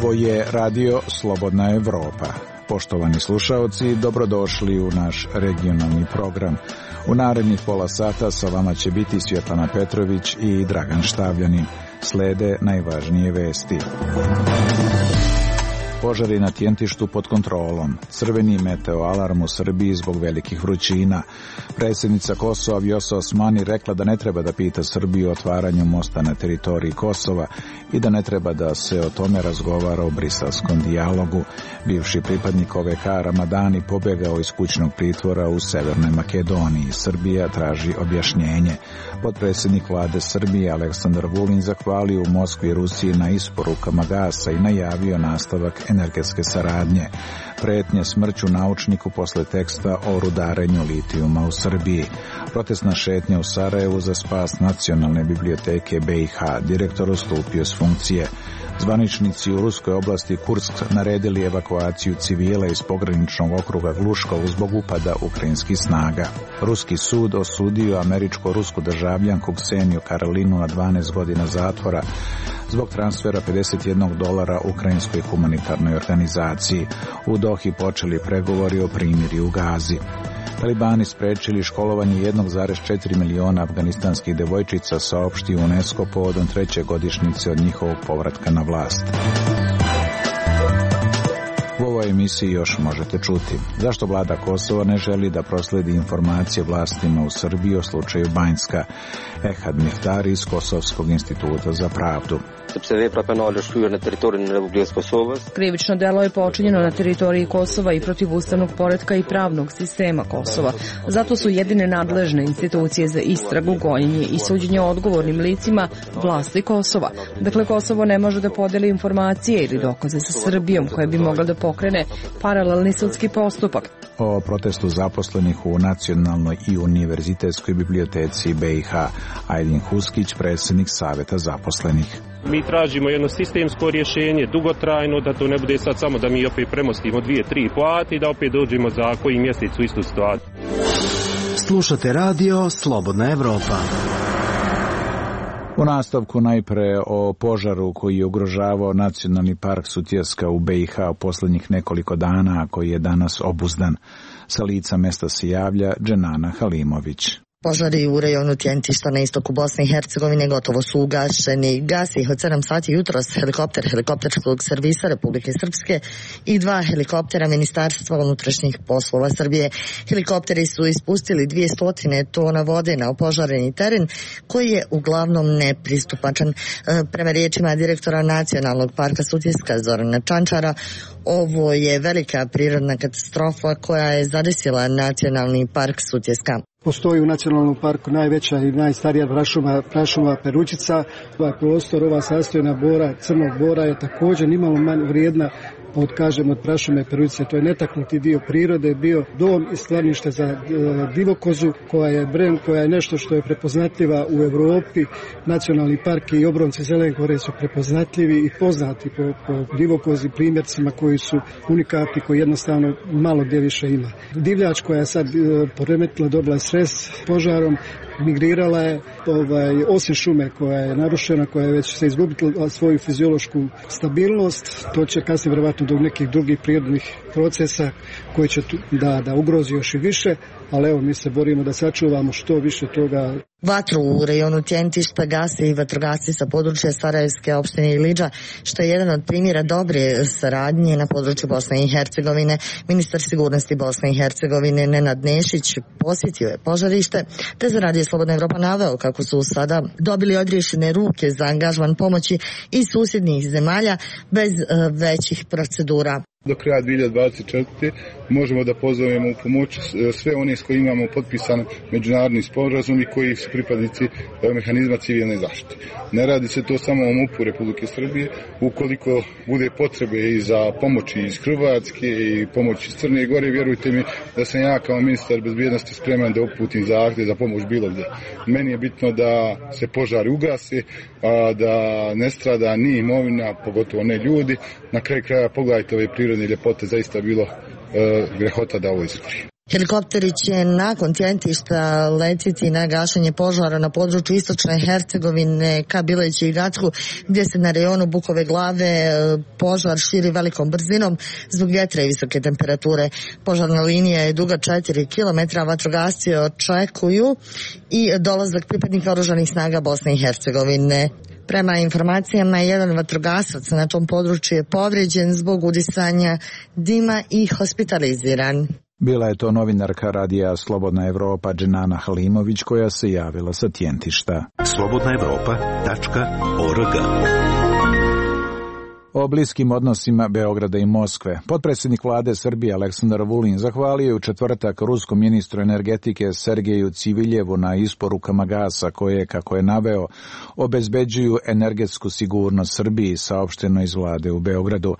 Ovo je radio Slobodna Evropa. Poštovani slušaoci, dobrodošli u naš regionalni program. U narednih pola sata sa vama će biti Svjetlana Petrović i Dragan Štavljanin. Slede najvažnije vesti. Požari na Tjentištu pod kontrolom. Crveni meteoalarm u Srbiji zbog velikih vrućina. Predsjednica Kosova Vjosa Osmani rekla da ne treba da pita Srbiju o otvaranju mosta na teritoriji Kosova i da ne treba da se o tome razgovara u briselskom dijalogu. Bivši pripadnik OVK Ramadani pobjegao iz kućnog pritvora u Severnoj Makedoniji. Srbija traži objašnjenje. Potpredsjednik vlade Srbije Aleksandar Vulin zahvalio u Moskvi i Rusiji na isporukama gasa i najavio nastavak energetske saradnje. Pretnje smrću naučniku posle teksta o rudarenju litijuma u Srbiji. Protestna šetnja u Sarajevu za spas Nacionalne biblioteke BiH. Direktor odstupio s funkcije. Zvaničnici u ruskoj oblasti Kursk naredili evakuaciju civila iz pograničnog okruga Gluškovo zbog upada ukrajinskih snaga. Ruski sud osudio američko-rusku državljanku Kseniju Karolinu na 12 godina zatvora zbog transfera $51 ukrajinskoj humanitarnoj organizaciji. U Dohi počeli pregovori o primirju u Gazi. Talibani sprečili školovanje 1,4 miliona afganistanskih devojčica, saopštio UNESCO povodom 3. godišnjice od njihovog povratka na vlast. U ovoj emisiji još možete čuti zašto vlada Kosova ne želi da prosledi informacije vlastima u Srbiji o slučaju Banjska. Ehad Miftari iz Kosovskog instituta za pravdu. Krivično delo je počinjeno na teritoriji Kosova i protiv ustavnog poretka i pravnog sistema Kosova. Zato su jedine nadležne institucije za istragu, gonjenje i suđenje odgovornim licima vlasti Kosova. Dakle, Kosovo ne može da podeli informacije ili dokaze sa Srbijom koja bi mogla da pokrene paralelni sudski postupak. O protestu zaposlenih u Nacionalnoj i univerzitetskoj biblioteci BiH. Ajdin Huskić, predsjednik Saveta zaposlenih. Mi tražimo jedno sistemsko rješenje, dugotrajno, da to ne bude sad samo da mi opet premostimo 2-3 plati i da opet dođemo za koji mjesec u istu situaciju. Slušate radio Slobodna Evropa. U nastavku najpre o požaru koji je ugrožavao Nacionalni park Sutjeska u BiH u posljednjih nekoliko dana, a koji je danas obuzdan. Sa lica mesta se javlja Dženana Halimović. Požari u rejonu Tjentišta na istoku Bosne i Hercegovine gotovo su ugašeni. Gasi ih od 7 sati jutros helikopter helikopterskog servisa Republike Srpske i 2 helikoptera Ministarstva unutrašnjih poslova Srbije. Helikopteri su ispustili 200 tona vode na opožareni teren koji je uglavnom nepristupačan. Prema riječima direktora Nacionalnog parka Sutjeska Zorana Čančara, ovo je velika prirodna katastrofa koja je zadesila Nacionalni park Sutjeska. Postoji u nacionalnom parku najveća i najstarija prašuma Perućica. Ovaj prostor, ova sastojna bora, crnog bora je također nimalo manje vrijedna od prašume Perućice. To je netaknuti dio prirode, bio dom i sklonište za divokozu koja je brend, koja je nešto što je prepoznatljiva u Europi. Nacionalni park i obronci Zelenkore su prepoznatljivi i poznati po divokozi, primjercima koji su unikatni, koji jednostavno malo gdje više ima. Divljač koja je sad poremetila, dobila stres požarom, migrirala je, osim šume koja je narušena, koja je već se izgubila svoju fiziološku stabilnost, to će kasnije vjerovatno do nekih drugih prirodnih procesa koji će da ugrozi još i više, ali evo mi se borimo da sačuvamo što više toga. Vatru u rejonu Tjentišta gase i vatrogasci sa područja Sarajevske opštine Ilidža, što je jedan od primjera dobre saradnje na području Bosne i Hercegovine. Ministar sigurnosti Bosne i Hercegovine Nenad Nešić posjetio je požarište, te za radio Slobodna Evropa naveo kako su sada dobili odriješene ruke za angažman pomoći iz susjednih zemalja bez većih procedura. Do kraja 2024. možemo da pozovemo u pomoć sve one s kojima imamo potpisan međunarodni sporazum i koji su pripadnici mehanizma civilne zaštite. Ne radi se to samo o MUP-u Republike Srbije. Ukoliko bude potrebe i za pomoći iz Hrvatske i pomoć iz Crne Gore, vjerujte mi da sam ja kao ministar bezbjednosti spreman da uputim zahtjev za pomoć bilo gdje. Meni je bitno da se požari ugase, da ne strada ni imovina, pogotovo ne ljudi. Na kraju kraja pogledajte ove prirodne ljepote, zaista bilo grehota da ovo izgori. Helikopteri će nakon Tjentišta letiti na gašenje požara na području istočne Hercegovine ka Bileću i Gracku, gdje se na rejonu Bukove Glave požar širi velikom brzinom zbog vjetra i visoke temperature. Požarna linija je duga 4 km, vatrogasci očekuju i dolazak pripadnika oružanih snaga Bosne i Hercegovine. Prema informacijama, jedan vatrogasac na tom području je povrijeđen zbog udisanja dima i hospitaliziran. Bila je to novinarka radija Slobodna Evropa Dženana Halimović koja se javila sa Tjentišta. slobodnaevropa.org. O bliskim odnosima Beograda i Moskve. Potpredsjednik vlade Srbije Aleksandar Vulin zahvalio je u četvrtak ruskom ministru energetike Sergeju Civiljevu na isporukama gasa koje, kako je naveo, obezbeđuju energetsku sigurnost Srbiji, saopšteno iz vlade u Beogradu.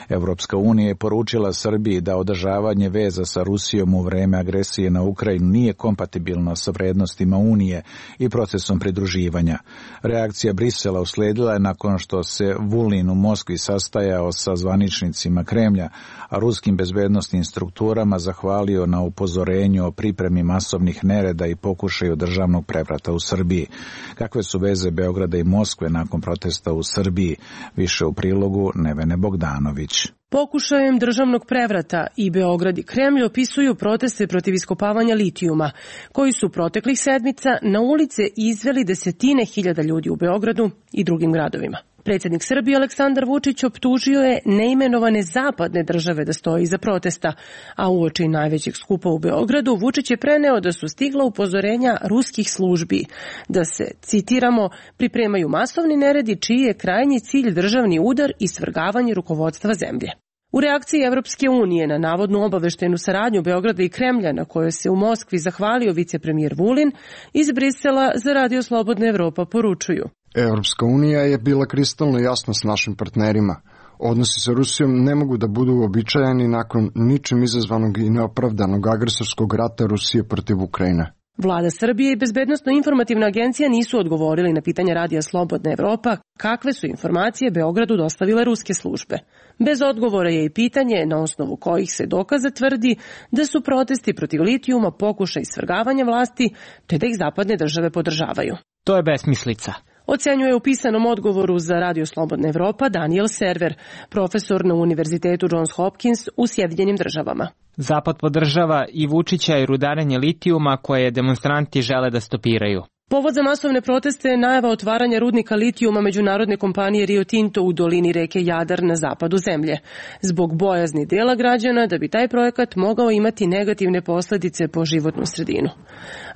Evropska unija je poručila Srbiji da održavanje veza sa Rusijom u vreme agresije na Ukrajinu nije kompatibilno sa vrednostima Unije i procesom pridruživanja. Reakcija Brisela usledila je nakon što se Vulin u Moskvi sastajao sa zvaničnicima Kremlja, a ruskim bezbednosnim strukturama zahvalio na upozorenju o pripremi masovnih nereda i pokušaju državnog prevrata u Srbiji. Kakve su veze Beograda i Moskve nakon protesta u Srbiji? Više u prilogu Nevene Bogdanović. Pokušajem državnog prevrata i Beograd i Kremlj opisuju proteste protiv iskopavanja litijuma, koji su proteklih sedmica na ulice izveli desetine hiljada ljudi u Beogradu i drugim gradovima. Predsjednik Srbije Aleksandar Vučić optužio je neimenovane zapadne države da stoje iza protesta, a uoči najvećeg skupa u Beogradu Vučić je preneo da su stigla upozorenja ruskih službi, da se, citiramo, pripremaju masovni neredi čiji je krajnji cilj državni udar i svrgavanje rukovodstva zemlje. U reakciji Evropske unije na navodnu obaveštenu saradnju Beograda i Kremlja, na kojoj se u Moskvi zahvalio vicepremijer Vulin, iz Brisela za Radio Slobodna Evropa poručuju: Evropska unija je bila kristalno jasna s našim partnerima. Odnosi sa Rusijom ne mogu da budu uobičajeni nakon ničim izazvanog i neopravdanog agresorskog rata Rusije protiv Ukrajine. Vlada Srbije i Bezbednosno-informativna agencija nisu odgovorili na pitanje Radija Slobodna Evropa kakve su informacije Beogradu dostavile ruske službe. Bez odgovora je i pitanje na osnovu kojih se dokaza tvrdi da su protesti protiv litijuma pokušaj svrgavanja vlasti, te da ih zapadne države podržavaju. To je besmislica, ocenjuje u pisanom odgovoru za Radio Slobodna Evropa Daniel Server, profesor na Univerzitetu Johns Hopkins u Sjedinjenim Državama. Zapad podržava i Vučića i rudarenje litijuma koje demonstranti žele da stopiraju. Povod za masovne proteste je najava otvaranja rudnika litijuma međunarodne kompanije Rio Tinto u dolini reke Jadar na zapadu zemlje, zbog bojazni dela građana da bi taj projekat mogao imati negativne posljedice po životnu sredinu.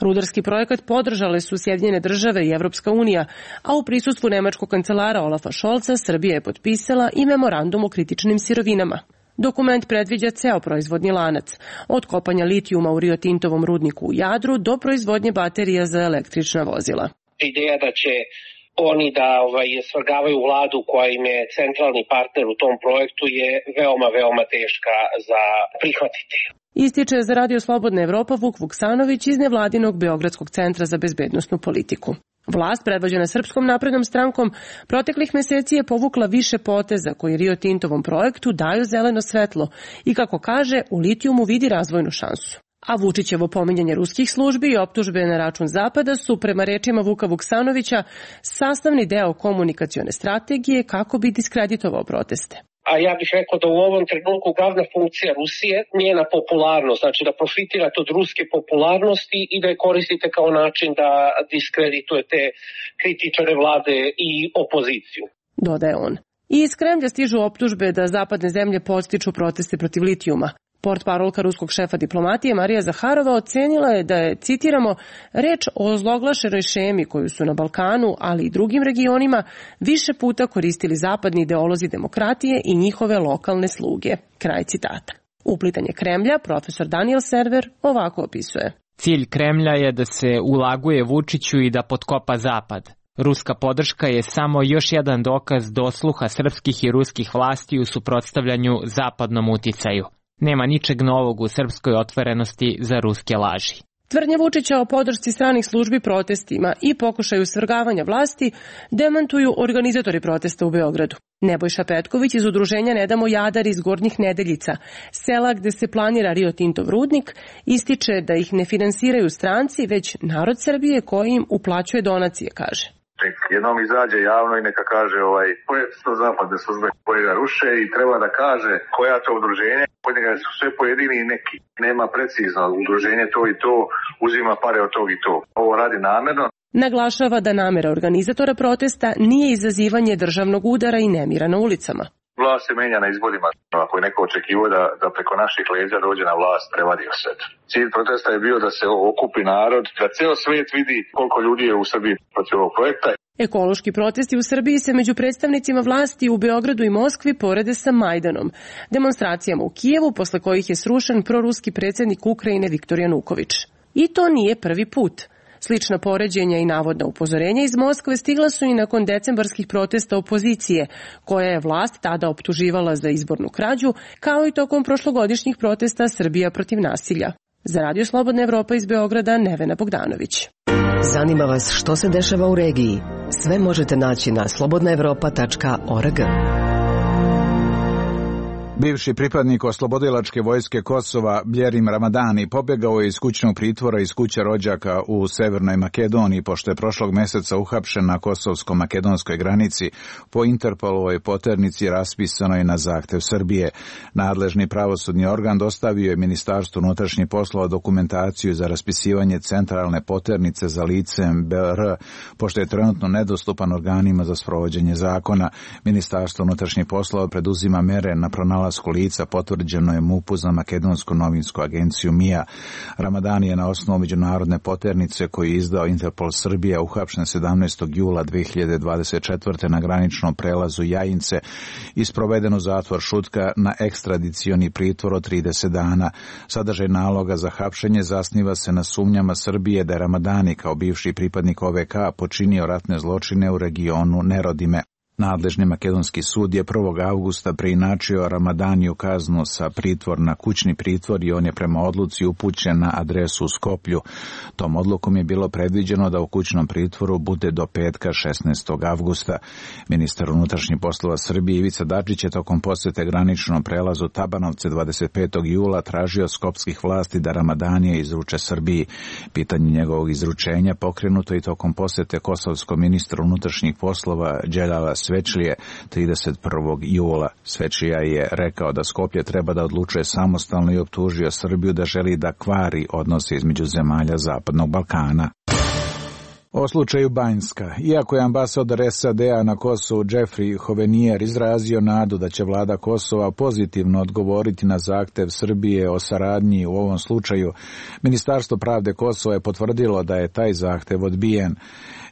Rudarski projekat podržale su Sjedinjene Države i Evropska unija, a u prisustvu nemačkog kancelara Olafa Scholza Srbija je potpisala i memorandum o kritičnim sirovinama. Dokument predviđa ceo proizvodni lanac, od kopanja litijuma u Rio Tintovom rudniku u Jadru do proizvodnje baterija za električna vozila. Ideja da će oni da svrgavaju vladu koja im je centralni partner u tom projektu je veoma teška za prihvatiti. Ističe za Radio Slobodna Evropa Vuk Vuksanović iz nevladinog Beogradskog centra za bezbednosnu politiku. Vlast, predvođena Srpskom naprednom strankom, proteklih meseci je povukla više poteza koji Rio Tintovom projektu daju zeleno svetlo i, kako kaže, u litijumu vidi razvojnu šansu. A Vučićevo pominjanje ruskih službi i optužbe na račun Zapada su, prema rečima Vuka Vuksanovića, sastavni deo komunikacione strategije kako bi diskreditovao proteste. A ja bih rekao da u ovom trenutku glavna funkcija Rusije njena popularnost, znači da profitirate od ruske popularnosti i da je koristite kao način da diskreditujete kritičare vlade i opoziciju, dodaje on. I iz Kremlja stižu optužbe da zapadne zemlje podstiču proteste protiv litijuma. Portparolka ruskog šefa diplomatije Marija Zaharova ocenila je da je, citiramo, reč o ozloglašenoj šemi koju su na Balkanu, ali i drugim regionima, više puta koristili zapadni ideolozi demokratije i njihove lokalne sluge. Kraj citata. Uplitanje Kremlja profesor Daniel Server ovako opisuje. Cilj Kremlja je da se ulaguje Vučiću i da potkopa Zapad. Ruska podrška je samo još jedan dokaz dosluha srpskih i ruskih vlasti u suprotstavljanju zapadnom uticaju. Nema ničeg novog u srpskoj otvorenosti za ruske laži. Tvrdnje Vučića o podršci stranih službi protestima i pokušaju svrgavanja vlasti demantuju organizatori protesta u Beogradu. Nebojša Petković iz udruženja Ne damo Jadar iz Gornjih Nedeljica, sela gde se planira Rio Tintov rudnik, ističe da ih ne finansiraju stranci, već narod Srbije koji im uplaćuje donacije, kaže. Jednom izađe javno i neka kaže koje su to zapadne službe koje ga ruše i treba da kaže koja to udruženje, kod njega su sve pojedini i neki. Nema precizno udruženje to i to, uzima pare od tog i to. Ovo radi namerno. Naglašava da namera organizatora protesta nije izazivanje državnog udara i nemira na ulicama. Vlast se menja na izborima. Ako je neko očekivao da preko naših leđa dođe na vlast, prevadio se. Cilj protesta je bio da se okupi narod, da ceo svet vidi koliko ljudi je u Srbiji protiv ovog projekta. Ekološki protesti u Srbiji se među predstavnicima vlasti u Beogradu i Moskvi porede sa Majdanom, demonstracijama u Kijevu posle kojih je srušen proruski predsjednik Ukrajine Viktor Januković. I to nije prvi put. Slična poređenja i navodna upozorenja iz Moskve stigla su i nakon decembarskih protesta opozicije, koja je vlast tada optuživala za izbornu krađu, kao i tokom prošlogodišnjih protesta Srbija protiv nasilja. Za Radio Slobodna Evropa iz Beograda, Nevena Bogdanović. Zanima vas što se dešava u regiji? Sve možete naći na slobodnaevropa.org. Bivši pripadnik oslobodilačke vojske Kosova Bjerim Ramadani pobjegao je iz kućnog pritvora iz kuće rođaka u Severnoj Makedoniji, pošto je prošlog mjeseca uhapšen na kosovsko-makedonskoj granici po Interpolovoj poternici raspisanoj na zahtev Srbije. Nadležni pravosudni organ dostavio je Ministarstvu unutrašnjih poslova dokumentaciju za raspisivanje centralne poternice za licem BR, pošto je trenutno nedostupan organima za sprovođenje zakona. Ministarstvo unutrašnjih poslova preduzima mere na pronalasku lica, potvrđeno je MUP-u za makedonsku novinsku agenciju MIA. Ramadani je na osnovu međunarodne poternice koju je izdao Interpol Srbija uhapšen 17. jula 2024. na graničnom prelazu Jajince i sproveden u zatvor Šutka na ekstradicioni pritvor od 30 dana. Sadržaj naloga za hapšenje zasniva se na sumnjama Srbije da je Ramadani kao bivši pripadnik OVK počinio ratne zločine u regionu Nerodime. Nadležni makedonski sud je 1. avgusta preinačio Ramadaniju kaznu sa pritvor na kućni pritvor i on je prema odluci upućen na adresu u Skoplju. Tom odlukom je bilo predviđeno da u kućnom pritvoru bude do petka 16. avgusta. Ministar unutrašnjih poslova Srbije Ivica Dačić je tokom posjete graničnom prelazu Tabanovce 25. jula tražio skopskih vlasti da Ramadanija izruče Srbiji. Pitanje njegovog izručenja pokrenuto i tokom posjete kosovskom ministru unutrašnjih poslova Đelala Svečlije 31. jula. Svečlija je rekao da Skoplje treba da odlučuje samostalno i optužio Srbiju da želi da kvari odnose između zemalja Zapadnog Balkana. O slučaju Banjska. Iako je ambasador SAD-a na Kosovu Jeffrey Hovenier izrazio nadu da će vlada Kosova pozitivno odgovoriti na zahtev Srbije o saradnji u ovom slučaju, Ministarstvo pravde Kosova je potvrdilo da je taj zahtev odbijen.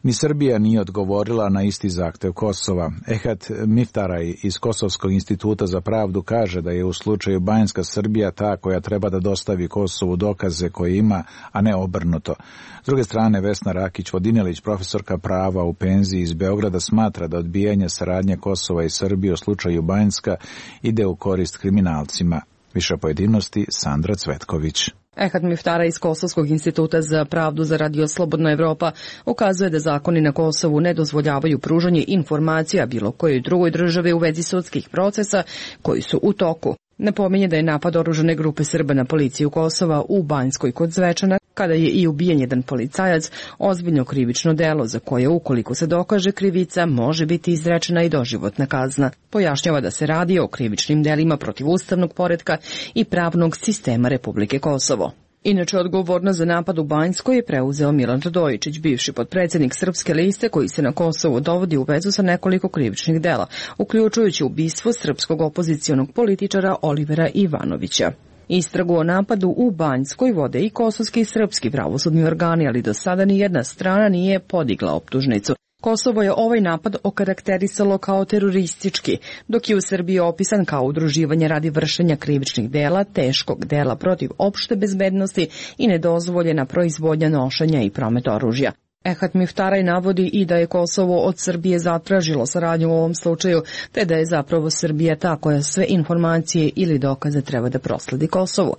Ni Srbija nije odgovorila na isti zahtev Kosova. Ehat Miftaraj iz Kosovskog instituta za pravdu kaže da je u slučaju Banjska Srbija ta koja treba da dostavi Kosovu dokaze koje ima, a ne obrnuto. S druge strane, Vesna Rakić-Vodinelić, profesorka prava u penziji iz Beograda, smatra da odbijanje saradnje Kosova i Srbije u slučaju Banjska ide u korist kriminalcima. Više pojedinosti Sandra Cvetković. Ehat Miftara iz Kosovskog instituta za pravdu za Radio Slobodna Evropa ukazuje da zakoni na Kosovu ne dozvoljavaju pružanje informacija bilo kojoj drugoj državi u vezi sudskih procesa koji su u toku. Napominje da je napad oružane grupe Srba na policiju Kosova u Banjskoj kod Zvečana, kada je i ubijen jedan policajac, ozbiljno krivično delo za koje, ukoliko se dokaže krivica, može biti izrečena i doživotna kazna. Pojašnjava da se radi o krivičnim delima protiv ustavnog poretka i pravnog sistema Republike Kosovo. Inače, odgovornost za napad u Banjskoj je preuzeo Milan Radojičić, bivši potpredsjednik Srpske liste koji se na Kosovu dovodi u vezu sa nekoliko krivičnih dela, uključujući ubistvo srpskog opozicionog političara Olivera Ivanovića. Istragu o napadu u Banjskoj vode i kosovski i srpski pravosudni organi, ali do sada ni jedna strana nije podigla optužnicu. Kosovo je ovaj napad okarakterisalo kao teroristički, dok je u Srbiji opisan kao udruživanje radi vršenja krivičnih dela, teškog dela protiv opšte bezbednosti i nedozvoljena proizvodnja, nošenja i promet oružja. Ehat Miftaraj navodi i da je Kosovo od Srbije zatražilo saradnju u ovom slučaju, te da je zapravo Srbija ta koja sve informacije ili dokaze treba da prosledi Kosovu.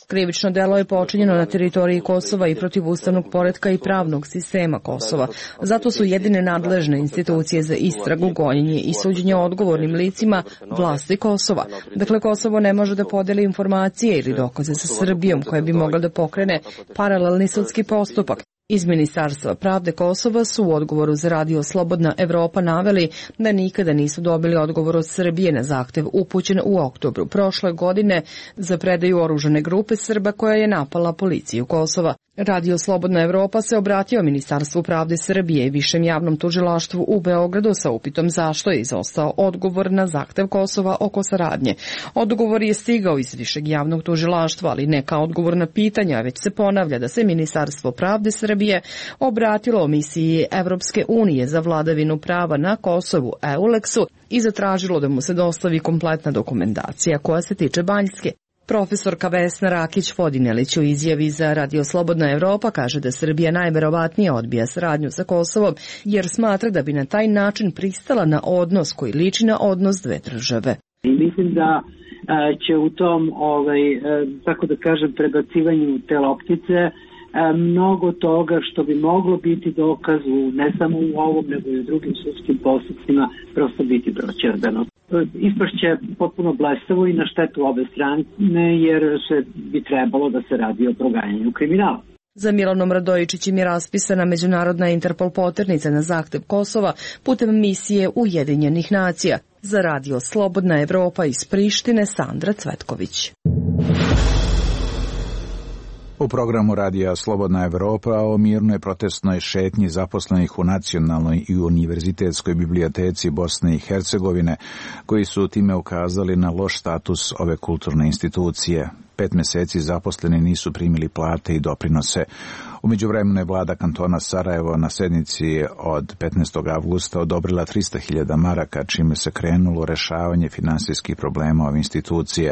Krivično delo je počinjeno na teritoriji Kosova i protiv ustavnog poretka i pravnog sistema Kosova. Zato su jedine nadležne institucije za istragu, gonjenje i suđenje odgovornim licima vlasti Kosova. Dakle, Kosovo ne može da podeli informacije ili dokaze sa Srbijom koja bi mogla da pokrene paralelni sudski postupak. Iz Ministarstva pravde Kosova su u odgovoru za radio Slobodna Evropa naveli da nikada nisu dobili odgovor od Srbije na zahtev upućen u oktobru prošle godine za predaju oružane grupe Srba koja je napala policiju Kosova. Radio Slobodna Evropa se obratio Ministarstvu pravde Srbije i Višem javnom tužilaštvu u Beogradu sa upitom zašto je izostao odgovor na zahtev Kosova oko saradnje. Odgovor je stigao iz Višeg javnog tužilaštva, ali ne kao odgovor na pitanja, već se ponavlja da se Ministarstvo pravde Srbije obratilo misiji Evropske unije za vladavinu prava na Kosovu EULEX-u i zatražilo da mu se dostavi kompletna dokumentacija koja se tiče Banjske. Profesorka Vesna Rakić-Vodinelić u izjavi za Radio Slobodna Evropa kaže da Srbija najverovatnije odbija saradnju sa Kosovom jer smatra da bi na taj način pristala na odnos koji liči na odnos dve države. I mislim da će u tom, tako da kažem, prebacivanju te loptice mnogo toga što bi moglo biti dokaz ne samo u ovom nego i u drugim sudskim postupcima prosto biti proćerdano. Ispašće potpuno blestavo i na štetu obe strane jer se bi trebalo da se radi o proganjanju kriminala. Za Milanom Radojičićem je raspisana međunarodna Interpol poternica na zahtev Kosova putem misije Ujedinjenih nacija. Za radio Slobodna Evropa iz Prištine Sandra Cvetković. U programu radija Slobodna Evropa o mirnoj protestnoj šetnji zaposlenih u Nacionalnoj i univerzitetskoj biblioteci Bosne i Hercegovine, koji su time ukazali na loš status ove kulturne institucije. 5 meseci zaposleni nisu primili plate i doprinose. U međuvremenu je vlada kantona Sarajevo na sednici od 15. avgusta odobrila 300.000 maraka, čime se krenulo rešavanje finansijskih problema ove institucije,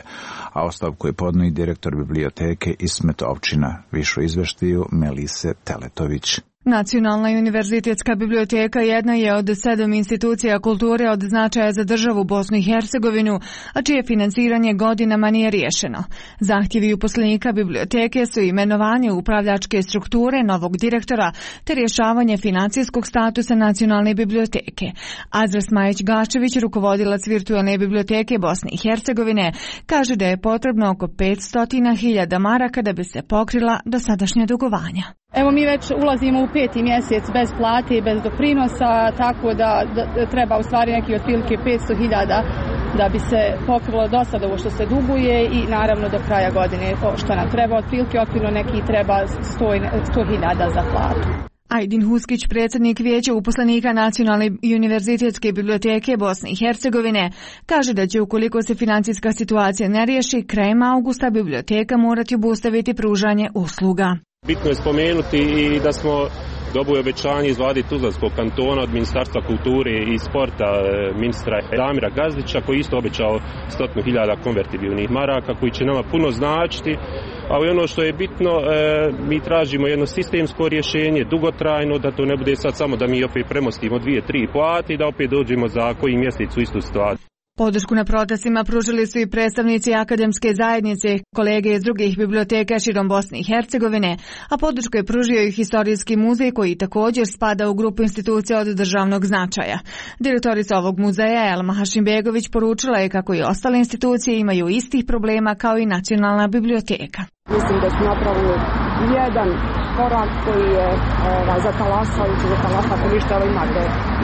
a ostavku je podneo i direktor biblioteke Ismet Ovčina. Više o izveštaju Melise Teletović. Nacionalna i univerzitetska biblioteka jedna je od 7 institucija kulture od značaja za državu Bosnu i Hercegovinu, a čije finansiranje godinama nije riješeno. Zahtjevi uposlenika biblioteke su imenovanje upravljačke strukture novog direktora te rješavanje financijskog statusa Nacionalne biblioteke. Azra Smajić-Gašević, rukovodilac virtualne biblioteke Bosne i Hercegovine, kaže da je potrebno oko 500.000 maraka da bi se pokrila dosadašnja dugovanja. Evo mi već ulazimo u 5. mjesec bez plate i bez doprinosa, tako da treba u stvari neki otprilike 500.000 da bi se pokrilo do sada ovo što se duguje i naravno do kraja godine što nam treba otprilike, okvirno neki treba 100.000 za platu. Ajdin Huskić, predsjednik vijeća uposlenika Nacionalne i univerzitetske biblioteke Bosne i Hercegovine, kaže da će ukoliko se financijska situacija ne riješi, krajem augusta biblioteka morati obustaviti pružanje usluga. Bitno je spomenuti i da smo dobili obećanje iz vlade Tuzlanskog kantona od Ministarstva kulture i sporta ministra Damira Gazdića, koji isto obećao 100.000 konvertibilnih maraka koji će nama puno značiti. Ali ono što je bitno, mi tražimo jedno sistemsko rješenje, dugotrajno, da to ne bude sad samo da mi opet premostimo 2-3 plate i da opet dođemo za koji mjesec u istu situaciju. Podršku na protestima pružili su i predstavnici akademske zajednice, kolege iz drugih biblioteka širom Bosne i Hercegovine, a podršku je pružio i Historijski muzej koji također spada u grupu institucija od državnog značaja. Direktorica ovog muzeja Elma Hašimbegović poručila je kako i ostale institucije imaju istih problema kao i Nacionalna biblioteka. Mislim da su napravili jedan korak koji je zatalasajući, ako ništa, ali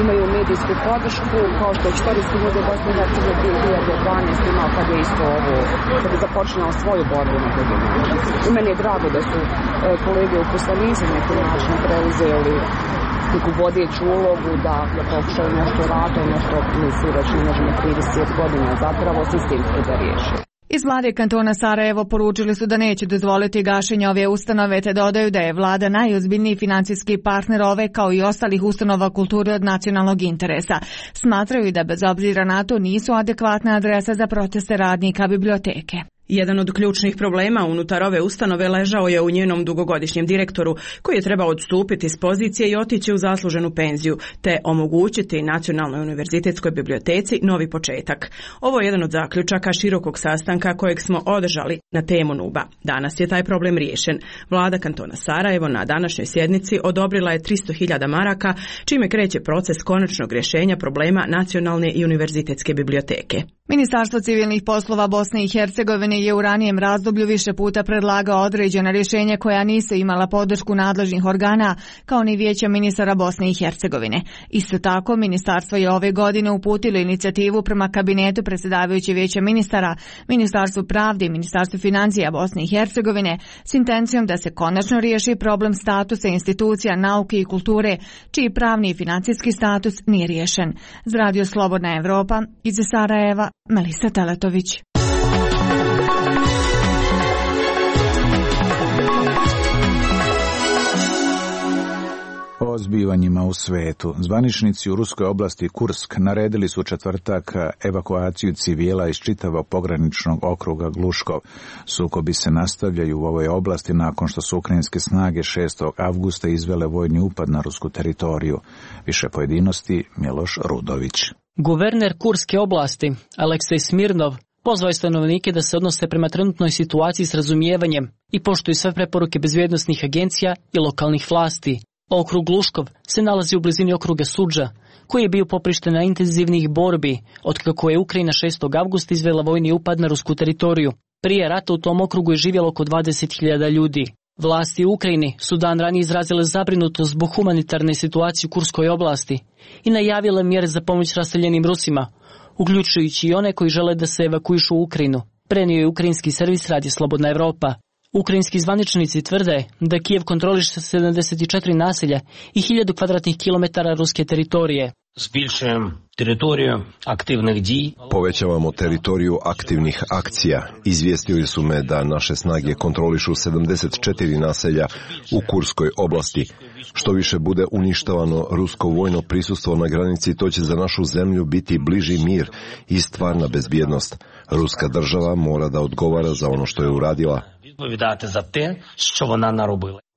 imaju medijsku podršku, kao što je Historijski muzej Bosne i Hercegovine 2012 imao kad je isto ovo, kad je započinao svoju borbu na drugi način. I meni je drago da su kolege uposlenici na neki način preuzeli neku vodeću ulogu da pokušaju nešto raditi, nešto misli već ne možemo 30 godina zapravo sistemski da riješi. Iz vlade kantona Sarajevo poručili su da neće dozvoliti gašenje ove ustanove te dodaju da je vlada najozbiljniji financijski partner ove kao i ostalih ustanova kulture od nacionalnog interesa. Smatraju da bez obzira na to nisu adekvatna adresa za proteste radnika biblioteke. Jedan od ključnih problema unutar ove ustanove ležao je u njenom dugogodišnjem direktoru, koji je trebao odstupiti s pozicije i otići u zasluženu penziju, te omogućiti Nacionalnoj univerzitetskoj biblioteci novi početak. Ovo je jedan od zaključaka širokog sastanka kojeg smo održali na temu NUB-a. Danas je taj problem riješen. Vlada kantona Sarajevo na današnjoj sjednici odobrila je 300.000 maraka, čime kreće proces konačnog rješenja problema Nacionalne i univerzitetske biblioteke. Ministarstvo civilnih poslova Bosne i Hercegovine je u ranijem razdoblju više puta predlagao određena rješenja koja nisu imala podršku nadležnih organa, kao ni Vijeća ministara Bosne i Hercegovine. Isto tako, ministarstvo je ove godine uputilo inicijativu prema kabinetu predsjedavajuće Vijeća ministara, Ministarstvu pravde i Ministarstvu financija Bosne i Hercegovine s intencijom da se konačno riješi problem statusa institucija nauke i kulture, čiji pravni i financijski status nije riješen. Za Radio Slobodna Evropa, iz Sarajeva, Melisa Teletović. O zbivanjima u svetu. Zvaničnici u ruskoj oblasti Kursk naredili su u četvrtak evakuaciju civila iz čitavog pograničnog okruga Gluškov. Sukobi se nastavljaju u ovoj oblasti nakon što su ukrajinske snage 6. avgusta izvele vojni upad na rusku teritoriju. Više pojedinosti Miloš Rudović. Guverner Kurske oblasti, Aleksej Smirnov, pozvao je stanovnike da se odnose prema trenutnoj situaciji s razumijevanjem i poštuju sve preporuke bezbjednosnih agencija i lokalnih vlasti. Okrug Gluškov se nalazi u blizini okruga Sudža, koji je bio poprište na intenzivnih borbi, otkako je Ukrajina 6. avgusta izvela vojni upad na rusku teritoriju. Prije rata u tom okrugu je živjelo oko 20.000 ljudi. Vlasti u Ukrajini su dan ranije izrazile zabrinutost zbog humanitarne situacije u Kurskoj oblasti i najavile mjere za pomoć raseljenim Rusima, uključujući i one koji žele da se evakuišu u Ukrajinu, prenio je ukrajinski servis Radio Slobodna Evropa. Ukrajinski zvaničnici tvrde da Kijev kontroliše 74 naselja i 1000 kvadratnih kilometara ruske teritorije. Povećavamo teritoriju aktivnih akcija. Izvijestili su me da naše snage kontrolišu 74 naselja u Kurskoj oblasti. Što više bude uništavano rusko vojno prisustvo na granici, to će za našu zemlju biti bliži mir i stvarna bezbjednost. Ruska država mora da odgovara za ono što je uradila.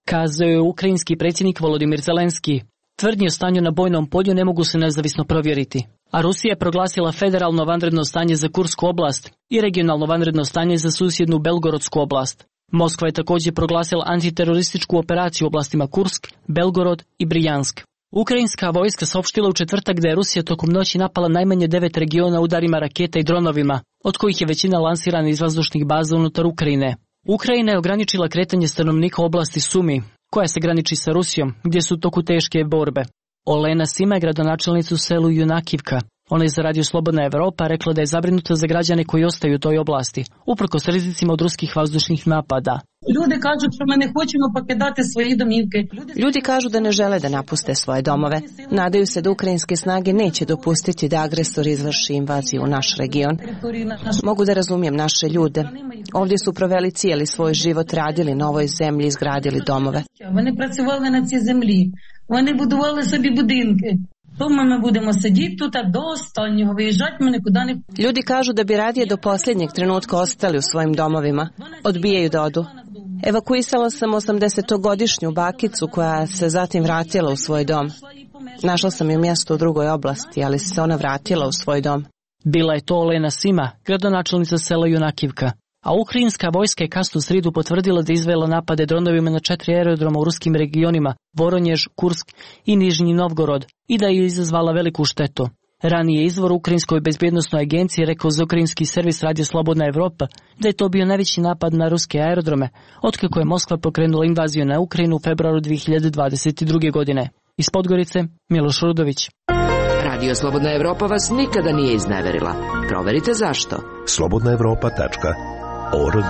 Kazao je ukrajinski predsjednik Volodimir Zelenski. Tvrdnje o stanju na bojnom polju ne mogu se nezavisno provjeriti. A Rusija je proglasila federalno vanredno stanje za Kursku oblast i regionalno vanredno stanje za susjednu Belgorodsku oblast. Moskva je također proglasila antiterorističku operaciju u oblastima Kursk, Belgorod i Brijansk. Ukrajinska vojska saopštila u četvrtak da je Rusija tokom noći napala najmanje 9 regiona udarima raketa i dronovima, od kojih je većina lansirana iz vazdušnih baza unutar Ukrajine. Ukrajina je ograničila kretanje stanovnika u oblasti Sumi, koja se graniči sa Rusijom, gdje su u toku teške borbe. Olena Sima je gradonačelnica u selu Junakivka. Ona je za Radio Slobodna Evropa rekla da je zabrinuta za građane koji ostaju u toj oblasti, uprkos rizicima od ruskih vazdušnih napada. Ljudi kažu da ne žele da napuste svoje domove. Nadaju se da ukrajinske snage neće dopustiti da agresor izvrši invaziju u naš region. Mogu da razumijem naše ljude. Ovdje su proveli cijeli svoj život, radili na ovoj zemlji, izgradili domove. Вони працювали на цій землі. Вони будували собі будинки. Тому ми будемо сидіти тут до останнього, виїжджати ми нікуди не... Ljudi kažu da bi radije do posljednjeg trenutka ostali u svojim domovima. Odbijaju da odu. Evakuisala sam 80-godišnju bakicu koja se zatim vratila u svoj dom. Našla sam je mjesto u drugoj oblasti, ali se ona vratila u svoj dom. Bila je to Olena Sima, gradonačelnica sela Junakivka. A ukrajinska vojska je kasnu sridu potvrdila da izvela napade dronovima na 4 aerodroma u ruskim regionima Voronjež, Kursk i Nižnji Novgorod i da je izazvala veliku štetu. Ranije izvor u Ukrajinskoj bezbjednosnoj agenciji rekao za ukrajinski servis Radio Slobodna Evropa da je to bio najveći napad na ruske aerodrome, otkako je Moskva pokrenula invaziju na Ukrajinu u februaru 2022. godine. Iz Podgorice, Miloš Rudović. Radio Slobodna Evropa vas nikada nije izneverila. Proverite zašto. slobodnaevropa.org.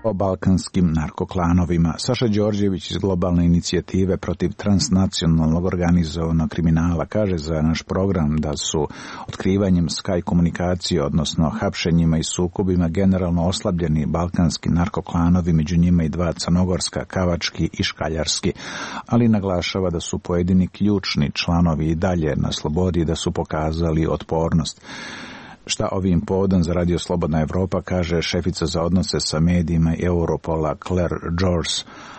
O balkanskim narkoklanovima. Saša Đorđević iz globalne inicijative protiv transnacionalnog organizovanog kriminala kaže za naš program da su otkrivanjem Sky komunikacije, odnosno hapšenjima i sukobima generalno oslabljeni balkanski narkoklanovi, među njima i 2 crnogorska, kavački i škaljarski, ali naglašava da su pojedini ključni članovi i dalje na slobodi i da su pokazali otpornost. Šta ovim povodom za Radio Slobodna Evropa kaže šefica za odnose sa medijima Europola Claire George,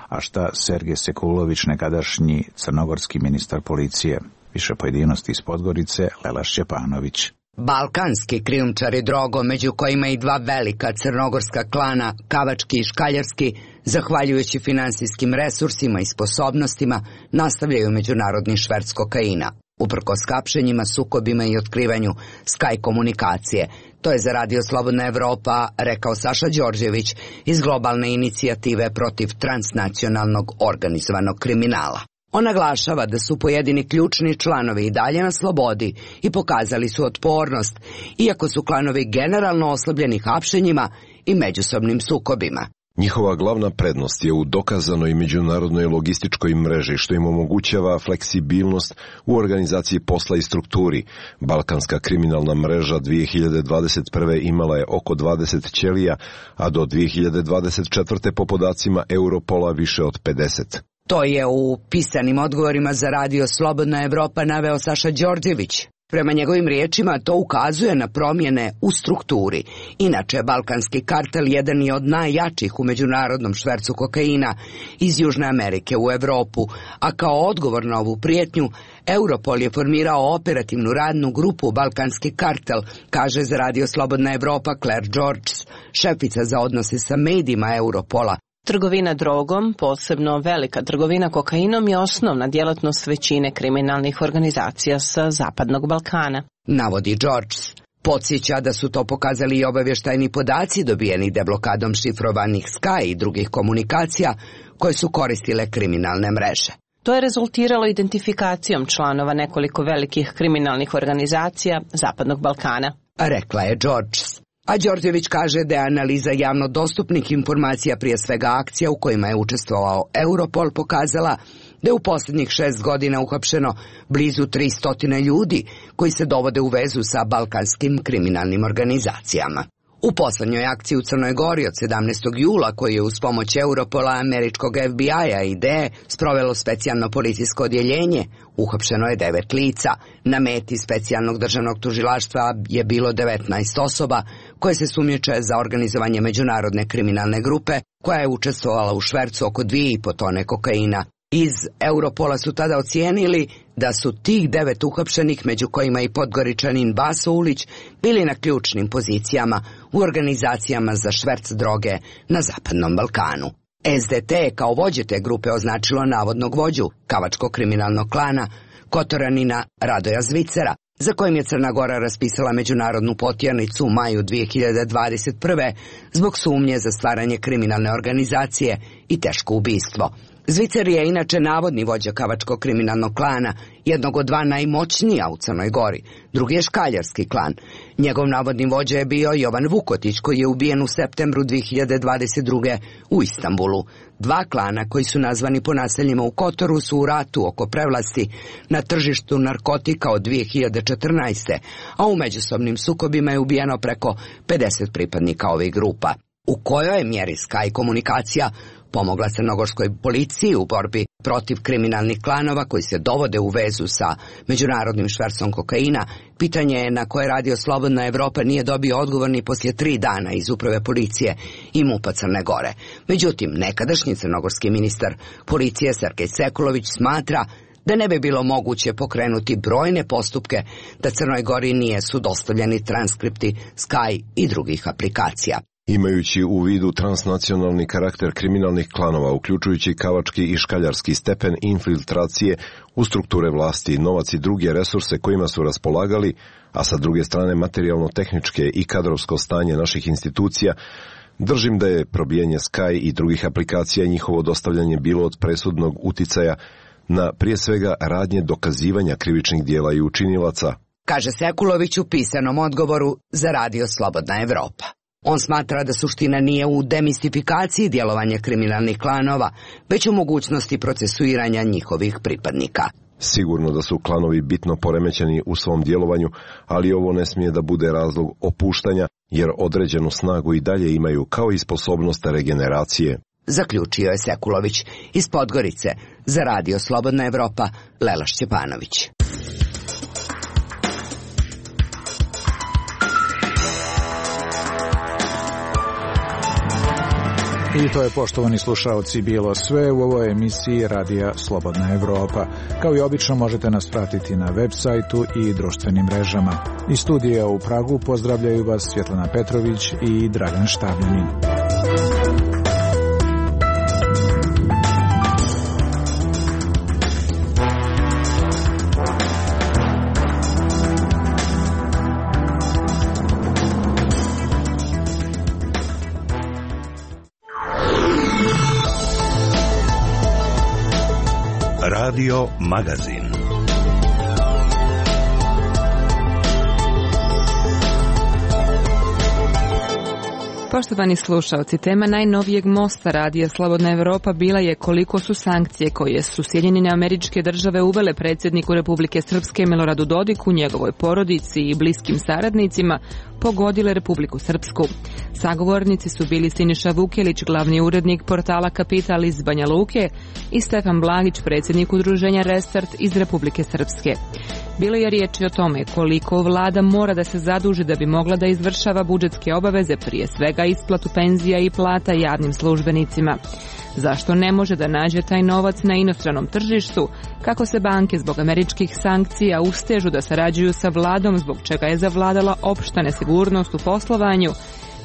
a šta Sergej Sekulović, nekadašnji crnogorski ministar policije. Više pojedinosti iz Podgorice, Lela Šćepanović. Balkanski krijumčari drogom, među kojima i dva velika crnogorska klana, Kavački i Škaljarski, zahvaljujući finansijskim resursima i sposobnostima, nastavljaju međunarodni šverc kokaina. Uprkos hapšenjima, sukobima i otkrivanju Sky komunikacije. To je za Radio Slobodna Evropa rekao Saša Đorđević iz globalne inicijative protiv transnacionalnog organizovanog kriminala. On naglašava da su pojedini ključni članovi i dalje na slobodi i pokazali su otpornost, iako su klanovi generalno oslabljeni hapšenjima i međusobnim sukobima. Njihova glavna prednost je u dokazanoj međunarodnoj logističkoj mreži, što im omogućava fleksibilnost u organizaciji posla i strukturi. Balkanska kriminalna mreža 2021. imala je oko 20 ćelija, a do 2024. po podacima Europola više od 50. To je u pisanim odgovorima za Radio Slobodna Evropa naveo Saša Đorđević. Prema njegovim riječima to ukazuje na promjene u strukturi. Inače, balkanski kartel jedan je od najjačih u međunarodnom švercu kokaina iz Južne Amerike u Evropu, a kao odgovor na ovu prijetnju, Europol je formirao operativnu radnu grupu Balkanski kartel, kaže za Radio Slobodna Evropa Claire George, šefica za odnose sa medijima Europola. Trgovina drogom, posebno velika trgovina kokainom, je osnovna djelatnost većine kriminalnih organizacija sa Zapadnog Balkana. Navodi George. Podsjeća da su to pokazali i obavještajni podaci dobijeni deblokadom šifrovanih Sky i drugih komunikacija koje su koristile kriminalne mreže. To je rezultiralo identifikacijom članova nekoliko velikih kriminalnih organizacija Zapadnog Balkana, rekla je George. A Đorđević kaže da je analiza javno dostupnih informacija, prije svega akcija u kojima je učestvovao Europol, pokazala da je u posljednjih 6 godina uhapšeno blizu 300 ljudi koji se dovode u vezu sa balkanskim kriminalnim organizacijama. U poslednjoj akciji u Crnoj Gori od 17. jula, koji je uz pomoć Europola, američkog FBI-a i DE sprovelo specijalno policijsko odjeljenje, uhapšeno je 9 lica. Na meti specijalnog državnog tužilaštva je bilo 19 osoba koje se sumnjiče za organizovanje međunarodne kriminalne grupe koja je učestvovala u švercu oko 2,5 tone kokaina. Iz Europola su tada ocijenili da su tih 9 uhapšenih, među kojima i Podgoričanin Baso Ulić, bili na ključnim pozicijama u organizacijama za šverc droge na Zapadnom Balkanu. SDT je kao vođe te grupe označilo navodnog vođu Kavačkog kriminalnog klana Kotoranina Radoja Zvicera, za kojim je Crna Gora raspisala međunarodnu potjernicu u maju 2021. zbog sumnje za stvaranje kriminalne organizacije i teško ubistvo. Zvicer je inače navodni vođa Kavačkog kriminalnog klana, jednog od dva najmoćnija u Crnoj Gori. Drugi je Škaljarski klan. Njegov navodni vođa je bio Jovan Vukotić, koji je ubijen u septembru 2022. u Istanbulu. Dva klana koji su nazvani po naseljima u Kotoru su u ratu oko prevlasti na tržištu narkotika od 2014. a u međusobnim sukobima je ubijeno preko 50 pripadnika ovih grupa. U kojoj je mjeri Sky komunikacija pomogla crnogorskoj policiji u borbi protiv kriminalnih klanova koji se dovode u vezu sa međunarodnim švercom kokaina, pitanje je na koje Radio Slobodna Evropa nije dobio odgovor ni poslije 3 dana iz uprave policije i MUP-a Crne Gore. Međutim, nekadašnji crnogorski ministar policije Sergej Sekulović smatra da ne bi bilo moguće pokrenuti brojne postupke da Crnoj Gori nije su dostavljeni transkripti Sky i drugih aplikacija. Imajući u vidu transnacionalni karakter kriminalnih klanova, uključujući kavački i škaljarski stepen infiltracije u strukture vlasti, novac i druge resurse kojima su raspolagali, a sa druge strane materijalno-tehničke i kadrovsko stanje naših institucija, držim da je probijanje Sky i drugih aplikacija i njihovo dostavljanje bilo od presudnog uticaja na prije svega radnje dokazivanja krivičnih dijela i učinilaca, kaže Sekulović u pisanom odgovoru za Radio Slobodna Evropa. On smatra da suština nije u demistifikaciji djelovanja kriminalnih klanova, već u mogućnosti procesuiranja njihovih pripadnika. Sigurno da su klanovi bitno poremećeni u svom djelovanju, ali ovo ne smije da bude razlog opuštanja, jer određenu snagu i dalje imaju, kao i sposobnost regeneracije. Zaključio je Sekulović iz Podgorice za Radio Slobodna Evropa, Lela Šćepanović. I to je, poštovani slušaoci, bilo sve u ovoj emisiji Radija Slobodna Evropa. Kao i obično možete nas pratiti na web sajtu i društvenim mrežama. Iz studija u Pragu pozdravljaju vas Svjetlana Petrović i Dragan Štavljanin. Radio Magazin. Poštovani slušalci, tema najnovijeg mosta Radija Slobodna Evropa bila je koliko su sankcije koje su Sjedinjene Američke Države uvele predsjedniku Republike Srpske Miloradu Dodiku, njegovoj porodici i bliskim saradnicima pogodile Republiku Srpsku. Sagovornici su bili Siniša Vukelić, glavni urednik portala Kapital iz Banja Luke, i Stefan Blagić, predsjednik udruženja Restart iz Republike Srpske. Bilo je riječi o tome koliko vlada mora da se zaduži da bi mogla da izvršava budžetske obaveze, prije svega isplatu penzija i plata javnim službenicima. Zašto ne može da nađe taj novac na inostranom tržištu, kako se banke zbog američkih sankcija ustežu da sarađuju sa vladom, zbog čega je zavladala opšta nesigurnost u poslovanju,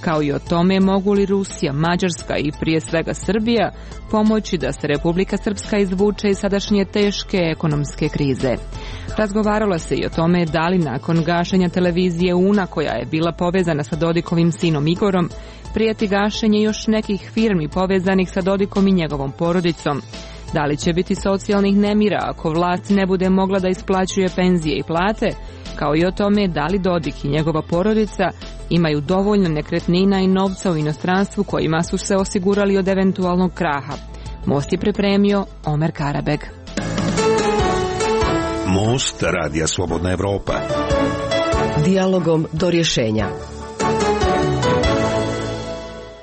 kao i o tome mogu li Rusija, Mađarska i prije svega Srbija pomoći da se Republika Srpska izvuče iz sadašnje teške ekonomske krize. Razgovaralo se i o tome da li nakon gašenja televizije UNA, koja je bila povezana sa Dodikovim sinom Igorom, prijeti gašenje još nekih firmi povezanih sa Dodikom i njegovom porodicom. Da li će biti socijalnih nemira ako vlast ne bude mogla da isplaćuje penzije i plate, kao i o tome da li Dodik i njegova porodica imaju dovoljno nekretnina i novca u inostranstvu kojima su se osigurali od eventualnog kraha. Most je pripremio Omer Karabeg. Most Radija Slobodna Evropa. Dijalogom do rješenja.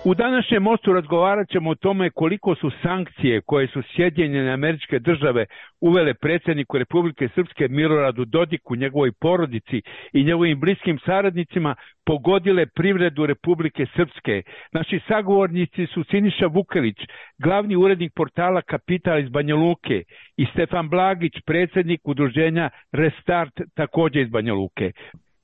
U današnjem mostu razgovarat ćemo o tome koliko su sankcije koje su Sjedinjene Američke Države uvele predsjedniku Republike Srpske Miloradu Dodiku, njegovoj porodici i njegovim bliskim saradnicima pogodile privredu Republike Srpske. Naši sagovornici su Siniša Vukelić, glavni urednik portala Kapital iz Banja Luke, i Stefan Blagić, predsjednik udruženja Restart, također iz Banja Luke.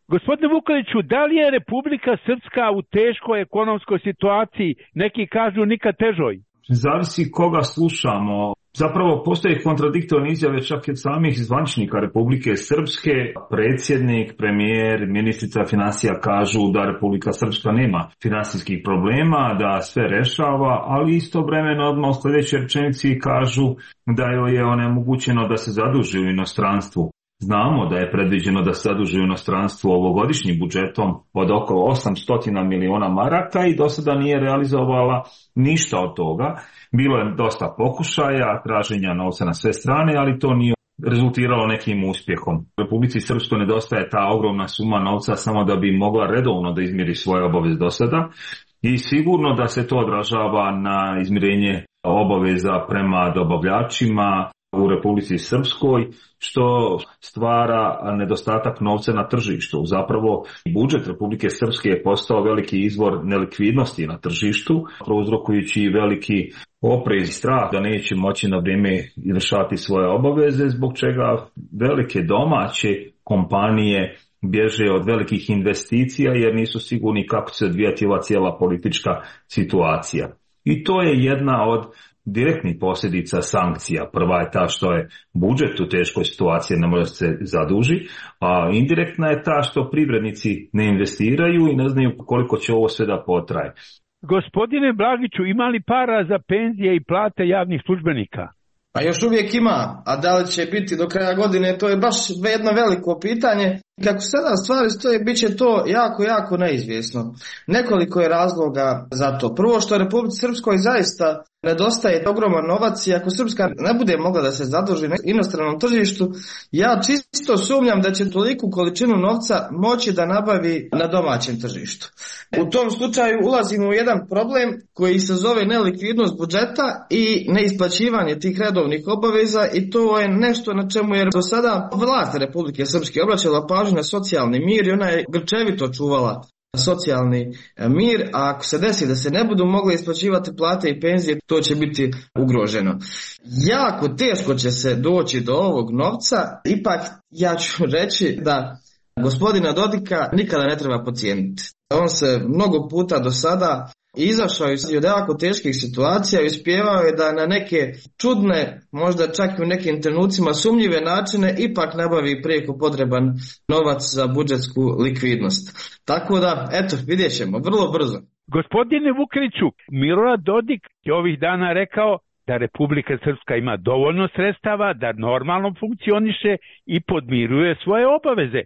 Gospodine Vukeliću, da li je Republika Srpska u teškoj ekonomskoj situaciji, neki kažu nikad težoj? Zavisi koga slušamo. Zapravo postoje kontradiktorne izjave čak i od samih zvaničnika Republike Srpske. Predsjednik, premijer, ministrica financija kažu da Republika Srpska nema finansijskih problema, da sve rešava, ali istovremeno odmah u sljedećoj rečenici kažu da joj je onemogućeno da se zaduži u inostranstvu. Znamo da je predviđeno da se zaduži u inostranstvu ovogodišnjim budžetom od oko 800 miliona maraka i do sada nije realizovala ništa od toga. Bilo je dosta pokušaja, traženja novca na sve strane, ali to nije rezultiralo nekim uspjehom. Republici Srpskoj nedostaje ta ogromna suma novca samo da bi mogla redovno da izmiri svoje obaveze do sada i sigurno da se to odražava na izmirenje obaveza prema dobavljačima u Republici Srpskoj, što stvara nedostatak novca na tržištu. Zapravo, budžet Republike Srpske je postao veliki izvor nelikvidnosti na tržištu, prouzrokujući veliki oprez i strah da neće moći na vrijeme izvršavati svoje obaveze, zbog čega velike domaće kompanije bježe od velikih investicija jer nisu sigurni kako će se odvijati ova cijela politička situacija. I to je jedna od direktnih posljedica sankcija. Prva je ta što je budžet u teškoj situaciji, ne može se zaduži, a indirektna je ta što privrednici ne investiraju i ne znaju koliko će ovo sve da potraje. Gospodine Blagiću, ima li para za penzije i plate javnih službenika? Pa još uvijek ima, a da li će biti do kraja godine, to je baš jedno veliko pitanje. Kako sada stvari stoje, bit će to jako neizvjesno. Nekoliko je razloga za to. Prvo, što Republici Srpskoj zaista nedostaje ogroman novac i ako Srpska ne bude mogla da se zaduži na inostranom tržištu, ja čisto sumnjam da će toliku količinu novca moći da nabavi na domaćem tržištu. U tom slučaju ulazimo u jedan problem koji se zove nelikvidnost budžeta i neisplaćivanje tih redovnih obaveza i to je nešto na čemu je do sada vlast Republike Srpske obraćala pažnju na socijalni mir i ona je grčevito čuvala socijalni mir, a ako se desi da se ne budu mogle isplaćivati plate i penzije, to će biti ugroženo. Jako teško će se doći do ovog novca, ipak ja ću reći da gospodina Dodika nikada ne treba podcijeniti. On se mnogo puta do sada izašao iz jako teških situacija i uspijevao je da na neke čudne, možda čak i u nekim trenucima sumnjive načine ipak nabavi prijeko potreban novac za budžetsku likvidnost. Tako da, eto, vidjet ćemo, vrlo brzo. Gospodine Vukeliću, Milorad Dodik je ovih dana rekao da Republika Srpska ima dovoljno sredstava, da normalno funkcioniše i podmiruje svoje obaveze.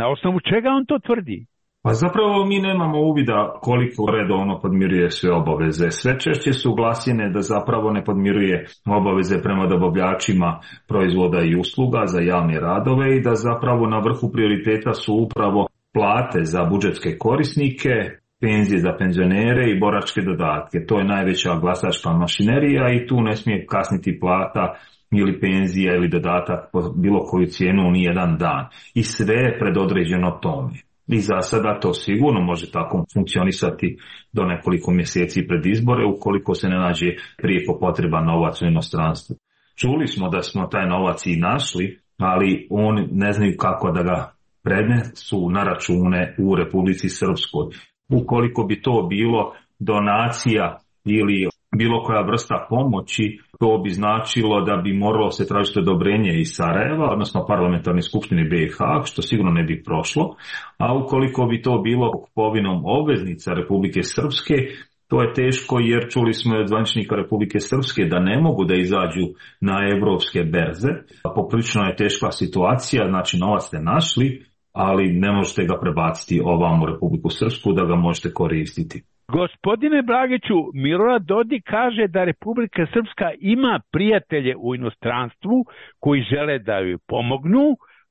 Na osnovu čega on to tvrdi? Pa zapravo mi nemamo uvida koliko redovno podmiruje sve obaveze. Sve češće su glasine da zapravo ne podmiruje obaveze prema dobavljačima proizvoda i usluga za javne radove i da zapravo na vrhu prioriteta su upravo plate za budžetske korisnike, penzije za penzionere i boračke dodatke. To je najveća glasačka mašinerija i tu ne smije kasniti plata ili penzija ili dodatak po bilo koju cijenu ni jedan dan. I sve je predodređeno tome. I za sada to sigurno može tako funkcionisati do nekoliko mjeseci pred izbore ukoliko se ne nađe prijeko potreban novac u inostranstvu. Čuli smo da smo taj novac i našli, ali oni ne znaju kako da ga prenesu na račune u Republici Srpskoj. Ukoliko bi to bilo donacija ili bilo koja vrsta pomoći, to bi značilo da bi moralo se tražiti odobrenje iz Sarajeva, odnosno parlamentarne skupštine BiH, što sigurno ne bi prošlo, a ukoliko bi to bilo kupovinom obveznica Republike Srpske, to je teško jer čuli smo od zvaničnika Republike Srpske da ne mogu da izađu na evropske berze. Poprilično je teška situacija, znači novac ste našli, ali ne možete ga prebaciti ovam u Republiku Srpsku da ga možete koristiti. Gospodine Blagiću, Milorad Dodik kaže da Republika Srpska ima prijatelje u inostranstvu koji žele da joj pomognu,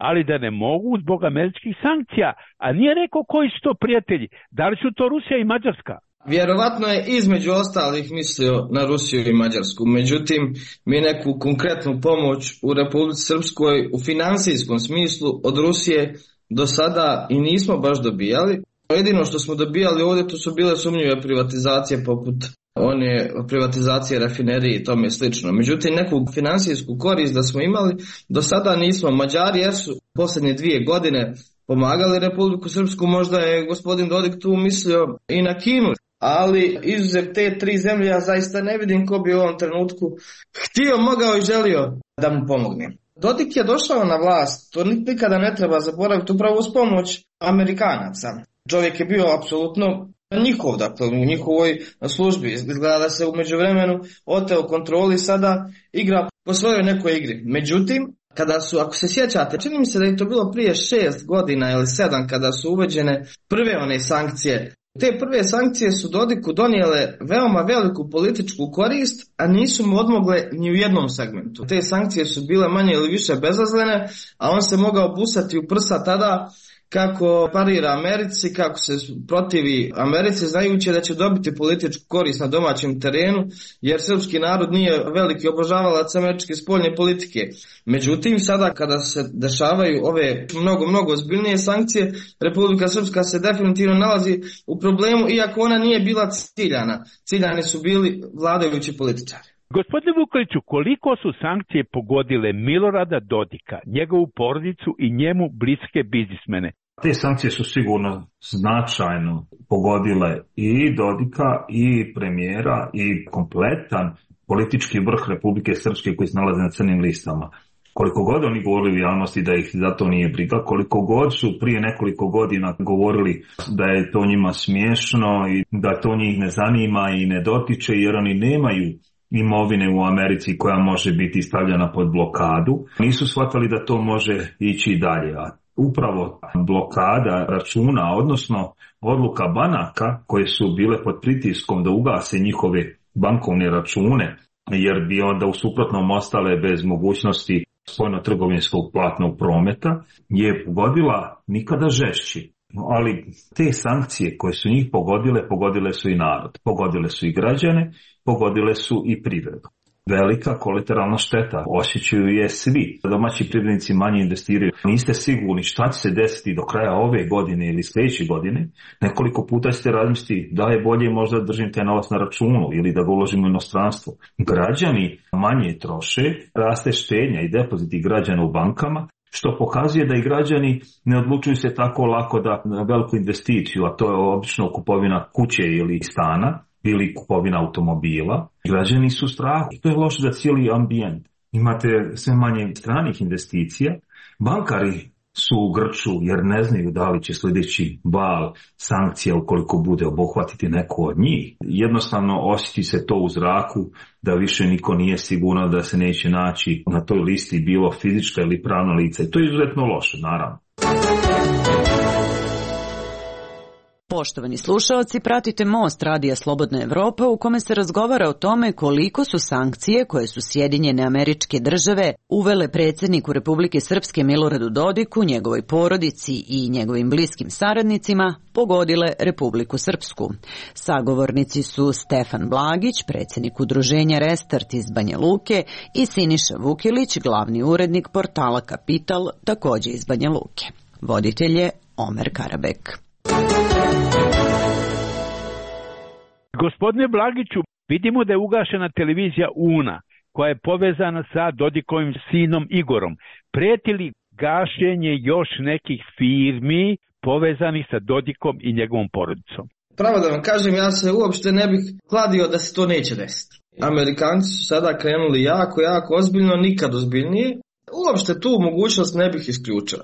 ali da ne mogu zbog američkih sankcija, a nije rekao koji su to prijatelji. Da li su to Rusija i Mađarska? Vjerovatno je između ostalih mislio na Rusiju i Mađarsku, međutim mi neku konkretnu pomoć u Republici Srpskoj u financijskom smislu od Rusije do sada i nismo baš dobijali. Jedino što smo dobijali ovdje to su bile sumnjive privatizacije poput one privatizacije rafinerije i tome slično. Međutim, neku financijsku korist da smo imali do sada nismo. Mađari jesu posljednje 2 godine pomagali Republiku Srpsku, možda je gospodin Dodik tu mislio i na Kinu, ali izuzev te 3 zemlje ja zaista ne vidim ko bi u ovom trenutku htio, mogao i želio da mu pomogne. Dodik je došao na vlast, to nikada ne treba zaboraviti, upravo uz pomoć Amerikanaca. Čovjek je bio apsolutno njihov, dakle u njihovoj službi. Izgleda da se u međuvremenu oteo kontroli, sada igra po svojoj nekoj igri. Međutim, kada su, ako se sjećate, čini mi se da je to bilo prije 6 godina ili 7 kada su uveđene prve one sankcije. Te prve sankcije su Dodiku donijele veoma veliku političku korist, a nisu mu odmogle ni u jednom segmentu. Te sankcije su bile manje ili više bezazlene, a on se mogao busati u prsa tada kako parira Americi, kako se protivi Americi, znajući da će dobiti političku korist na domaćem terenu, jer srpski narod nije veliki obožavalac američke spoljne politike. Međutim, sada kada se dešavaju ove mnogo ozbiljnije sankcije, Republika Srpska se definitivno nalazi u problemu, iako ona nije bila ciljana. Ciljani su bili vladajući političari. Gospodine Vukeliću, koliko su sankcije pogodile Milorada Dodika, njegovu porodicu i njemu bliske biznismene? Te sankcije su sigurno značajno pogodile i Dodika i premijera i kompletan politički vrh Republike Srpske koji se nalaze na crnim listama. Koliko god oni govorili u javnosti da ih za to nije briga, koliko god su prije nekoliko godina govorili da je to njima smiješno i da to njih ne zanima i ne dotiče jer oni nemaju imovine u Americi koja može biti stavljena pod blokadu, nisu shvatili da to može ići dalje. A upravo blokada računa, odnosno odluka banaka koje su bile pod pritiskom da ugase njihove bankovne račune, jer bi onda u suprotnom ostale bez mogućnosti spoljno-trgovinskog platnog prometa, je pogodila nikada žešći. Ali te sankcije koje su njih pogodile su i narod, pogodile su i građane, pogodile su i privredu. velika kolateralna šteta. Osjećaju je svi. Domaći privrednici manje investiraju. Niste sigurni šta će se desiti do kraja ove godine ili sljedeće godine. Nekoliko puta ćete razmisliti da je bolje možda da držim taj novac na računu ili da ga uložimo u inostranstvo. Građani manje troše, raste štednja i depoziti građana u bankama, što pokazuje da i građani ne odlučuju se tako lako da na veliku investiciju, a to je obično kupovina kuće ili stana, ili kupovina automobila. Građani su u strahu. To je loše za cijeli ambijent. Imate sve manje stranih investicija. Bankari su u grču jer ne znaju da li će sljedeći val sankcija, ukoliko bude, obuhvatiti neko od njih. Jednostavno osjeti se to u zraku da više niko nije sigurno da se neće naći na toj listi bilo fizička ili pravna lica. I to je izuzetno loše, naravno. Poštovani slušaoci, pratite Most Radija Slobodna Evropa u kome se razgovara o tome koliko su sankcije koje su Sjedinjene Američke Države uvele predsjedniku Republike Srpske Miloradu Dodiku, njegovoj porodici i njegovim bliskim saradnicima pogodile Republiku Srpsku. Sagovornici su Stefan Blagić, predsjednik udruženja Restart iz Banja Luke, i Siniša Vukilić, glavni urednik portala Kapital, također iz Banja Luke. Voditelj je Omer Karabek. Gospodine Blagiću, vidimo da je ugašena televizija UNA, koja je povezana sa Dodikovim sinom Igorom. Prijeti li gašenje još nekih firmi povezanih sa Dodikom i njegovom porodicom? Pravo da vam kažem, ja se uopšte ne bih kladio da se to neće desiti. Amerikanci su sada krenuli jako ozbiljno, nikad ozbiljnije. Uopšte tu mogućnost ne bih isključio.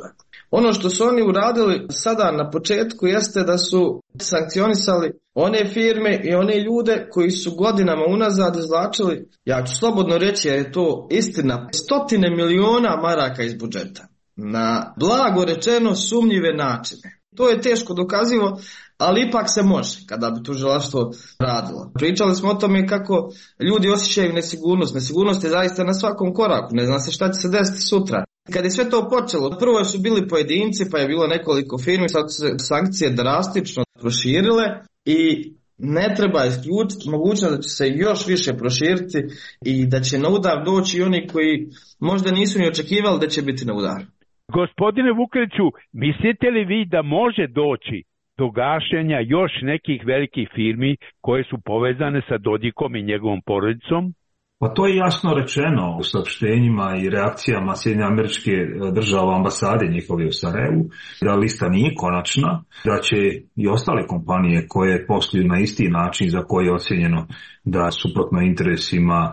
Ono što su oni uradili sada na početku jeste da su sankcionisali one firme i one ljude koji su godinama unazad izvlačili, ja ću slobodno reći jer je to istina, 100 miliona maraka iz budžeta na blago rečeno sumnjive načine. To je teško dokazivo, ali ipak se može kada bi tužilaštvo radilo. Pričali smo o tome kako ljudi osjećaju nesigurnost. Nesigurnost je zaista na svakom koraku, ne zna se šta će se desiti sutra. Kad je sve to počelo, prvo su bili pojedinci, pa je bilo nekoliko firmi, sad su se sankcije drastično proširile i ne treba isključiti mogućnost da će se još više proširiti i da će na udar doći oni koji možda nisu ni očekivali da će biti na udaru. Gospodine Vukeliću, mislite li vi da može doći do gašenja još nekih velikih firmi koje su povezane sa Dodikom i njegovom porodicom? Pa to je jasno rečeno u saopštenjima i reakcijama Sjedinjenih Američke Države ambasade njihove u Sarajevu, da lista nije konačna, da će i ostale kompanije koje posluju na isti način za koje je ocjenjeno da suprotno interesima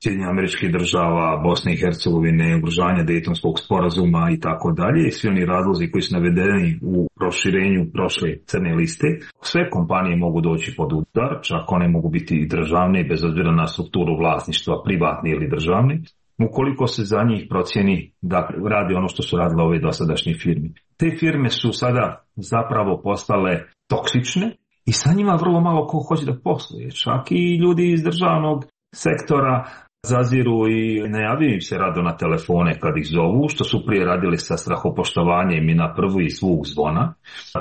Sjedinjenih Američkih Država, Bosne i Hercegovine, ugrožavanja Dejtonskog sporazuma i tako dalje, i svi oni razlozi koji su navedeni u proširenju prošle crne liste, sve kompanije mogu doći pod udar, čak one mogu biti i državne, bez obzira na strukturu vlasništva, privatni ili državni, ukoliko se za njih procjeni da radi ono što su radile ove dosadašnje firme. Te firme su sada zapravo postale toksične i sa njima vrlo malo ko hoće da posluje, čak i ljudi iz državnog sektora zaziru i najavljuju im se rado na telefone kad ih zovu, što su prije radili sa strahopoštovanjem i na prvu i zvuk zvona,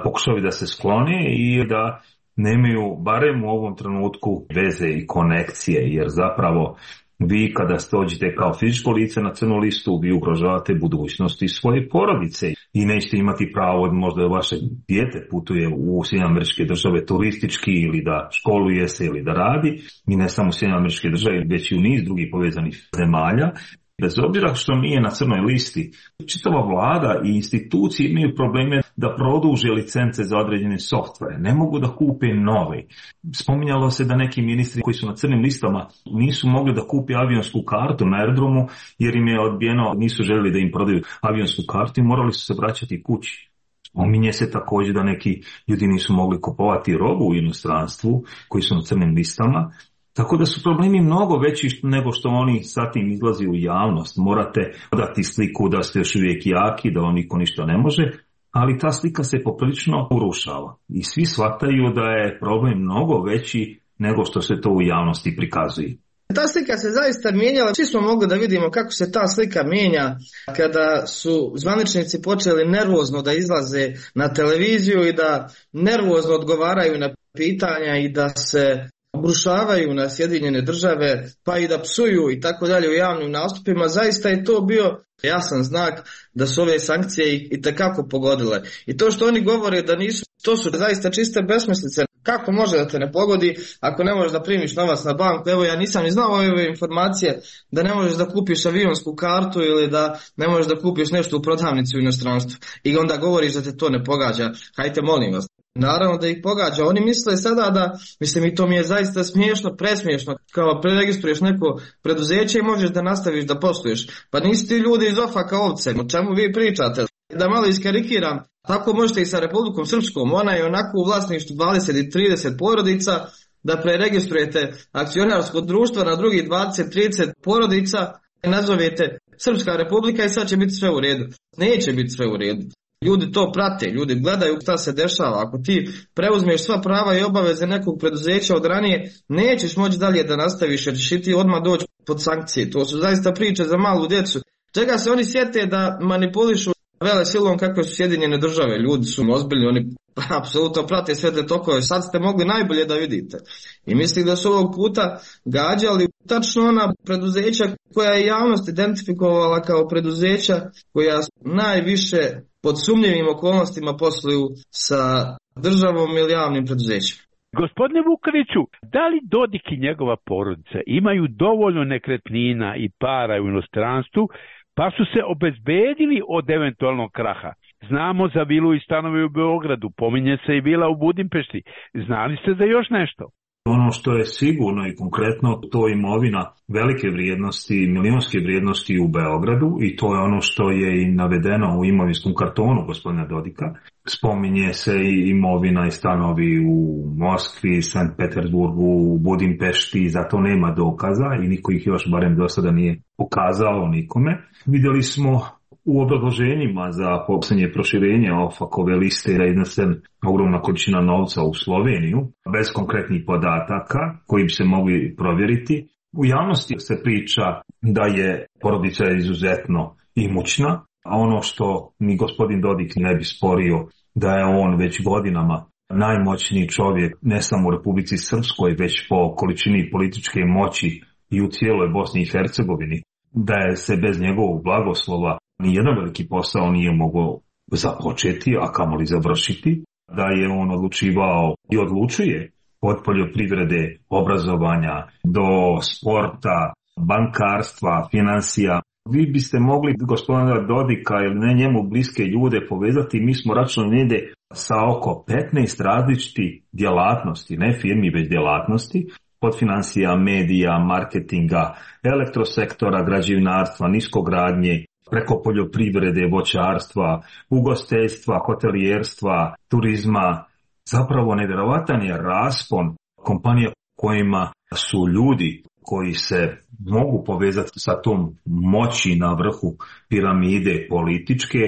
pokušali da se sklone i da nemaju barem u ovom trenutku veze i konekcije, jer zapravo vi kada dođete kao fizičko lice na crnu listu, vi ugrožavate budućnosti svoje porodice i nećete imati pravo možda da vaše dijete putuje u Sjedinjene Američke Države turistički ili da školuje se ili da radi, i ne samo u Sjedinjene Američke Države, već i u niz drugih povezanih zemalja. Bez obzira što nije na crnoj listi, čitava vlada i institucije imaju probleme da produže licence za određene softvere. Ne mogu da kupe nove. Spominjalo se da neki ministri koji su na crnim listama nisu mogli da kupe avionsku kartu na aerodromu jer im je odbijeno, nisu željeli da im prodaju avionsku kartu i morali su se vraćati kući. Spominje se također da neki ljudi nisu mogli kupovati robu u inostranstvu koji su na crnim listama. Tako da su problemi mnogo veći nego što oni sa tim izlazi u javnost. Morate dati sliku da ste još uvijek jaki, da vam niko ništa ne može, ali ta slika se poprilično urušava. I svi shvataju da je problem mnogo veći nego što se to u javnosti prikazuje. Ta slika se zaista mijenjala. Svi smo mogli da vidimo kako se ta slika mijenja kada su zvaničnici počeli nervozno da izlaze na televiziju i da nervozno odgovaraju na pitanja i da se obrušavaju na Sjedinjene Države, pa i da psuju i tako dalje u javnim nastupima, zaista je to bio jasan znak da su ove sankcije i tekako pogodile. I to što oni govore da nisu, to su zaista čiste besmislice. Kako može da te ne pogodi ako ne možeš da primiš novac na banku? Evo, ja nisam ni znao ove informacije da ne možeš da kupiš avionsku kartu ili da ne možeš da kupiš nešto u prodavnici u inostranstvu. I onda govoriš da te to ne pogađa. Hajte, molim vas. Naravno da ih pogađa. Oni misle sada da, mislim, i to mi je zaista smiješno, presmiješno, kao preregistruješ neko preduzeće i možeš da nastaviš da posluješ. Pa nisi ti ljudi iz ofaka ovce, o čemu vi pričate? Da malo iskarikiram, tako možete i sa Republikom Srpskom, ona je onako u vlasništvu 20 i 30 porodica, da preregistrujete akcionarsko društvo na drugih 20-30 porodica i nazovete Srpska republika i sad će biti sve u redu. Neće biti sve u redu. Ljudi to prate, ljudi gledaju šta se dešava. Ako ti preuzmeš sva prava i obaveze nekog preduzeća od ranije, nećeš moći dalje da nastaviš jer ćeš ti odmah doći pod sankcije. To su zaista priče za malu djecu. Čega se oni sjete da manipulišu vele silom kako su Sjedinjene Države. Ljudi su ozbiljni, oni apsolutno prate sve te tokove. Sad ste mogli najbolje da vidite. I mislim da su ovog puta gađali tačno ona preduzeća koja je javnost identifikovala kao preduzeća koja najviše pod sumnjivim okolnostima posluju sa državom ili javnim preduzećima. Gospodine Vukeliću, da li Dodik i njegova porodica imaju dovoljno nekretnina i para u inostranstvu, pa su se obezbedili od eventualnog kraha? Znamo za vilu i stanove u Beogradu, pominje se i vila u Budimpešti. Znali ste za još nešto? Ono što je sigurno i konkretno, to je imovina velike vrijednosti, milionske vrijednosti u Beogradu i to je ono što je i navedeno u imovinskom kartonu gospodina Dodika. Spominje se i imovina i stanovi u Moskvi, Sankt Petersburgu, u Budimpešti, zato nema dokaza i niko ih još barem do sada nije pokazao nikome. Vidjeli smo u obrazloženjima za posljednje proširenje OFAC-ove liste da je iznesen ogromna količina novca u Sloveniju, bez konkretnih podataka koji bi se mogli provjeriti. U javnosti se priča da je porodica izuzetno imućna, a ono što ni gospodin Dodik ne bi sporio da je on već godinama najmoćniji čovjek ne samo u Republici Srpskoj, već po količini političke moći i u cijeloj Bosni i Hercegovini, da je se bez njegovog blagoslova nijedan veliki posao nije mogao započeti, a kamoli završiti, da je on odlučivao i odlučuje od poljoprivrede, obrazovanja, do sporta, bankarstva, financija. Vi biste mogli gospodina Dodika ili ne njemu bliske ljude povezati, mi smo računali negdje sa oko 15 različitih djelatnosti, ne firmi već djelatnosti, od financija, medija, marketinga, elektrosektora, građevinarstva, niskogradnje, preko poljoprivrede, voćarstva, ugostiteljstva, hotelijerstva, turizma. Zapravo nevjerovatan je raspon kompanija kojima su ljudi koji se mogu povezati sa tom moći na vrhu piramide političke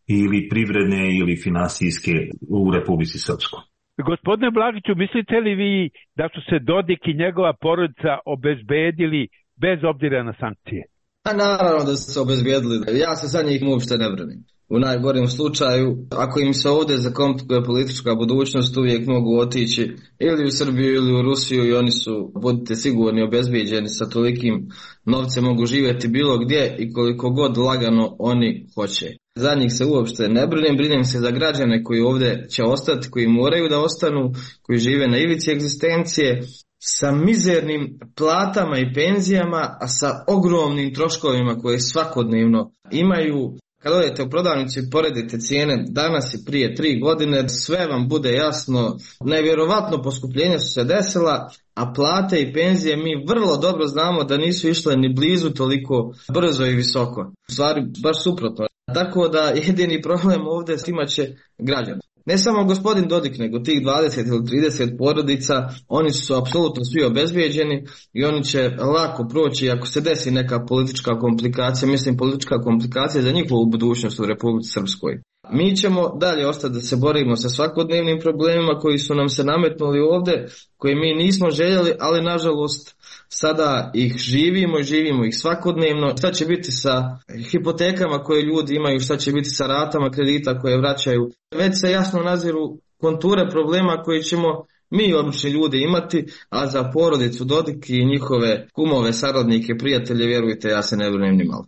ili privredne ili financijske u Republici Srpskoj. Gospodine Blagiću, mislite li vi da su se Dodik i njegova porodica obezbedili bez obzira na sankcije? A naravno da su se obezbijedili. Ja se za njih uopšte ne branim. U najgorem slučaju, ako im se ovdje zakomplikuje politička budućnost, uvijek mogu otići ili u Srbiju ili u Rusiju i oni su, budite sigurni, obezbijeđeni sa tolikim novcem, mogu živjeti bilo gdje i koliko god lagano oni hoće. Za njih se uopšte ne brinem se za građane koji ovdje će ostati, koji moraju da ostanu, koji žive na ivici egzistencije, sa mizernim platama i penzijama, a sa ogromnim troškovima koje svakodnevno imaju. Kad odete u prodavnicu i poredite cijene danas i prije 3 godine, sve vam bude jasno. Nevjerovatno poskupljenja su se desila, a plate i penzije mi vrlo dobro znamo da nisu išle ni blizu toliko brzo i visoko. U stvari, baš suprotno. Tako da jedini problem ovdje imat će građani. Ne samo gospodin Dodik, nego tih 20 ili 30 porodica, oni su apsolutno svi obezbijeđeni i oni će lako proći ako se desi neka politička komplikacija, mislim politička komplikacija za njihovu budućnost u Republici Srpskoj. Mi ćemo dalje ostati da se borimo sa svakodnevnim problemima koji su nam se nametnuli ovdje, koje mi nismo željeli, ali nažalost sada ih živimo ih svakodnevno. Šta će biti sa hipotekama koje ljudi imaju, šta će biti sa ratama kredita koje vraćaju. Već se jasno naziru konture problema koji ćemo mi obični ljudi imati, a za porodicu Dodik i njihove kumove, saradnike, prijatelje, vjerujte, ja se ne brinem ni malo.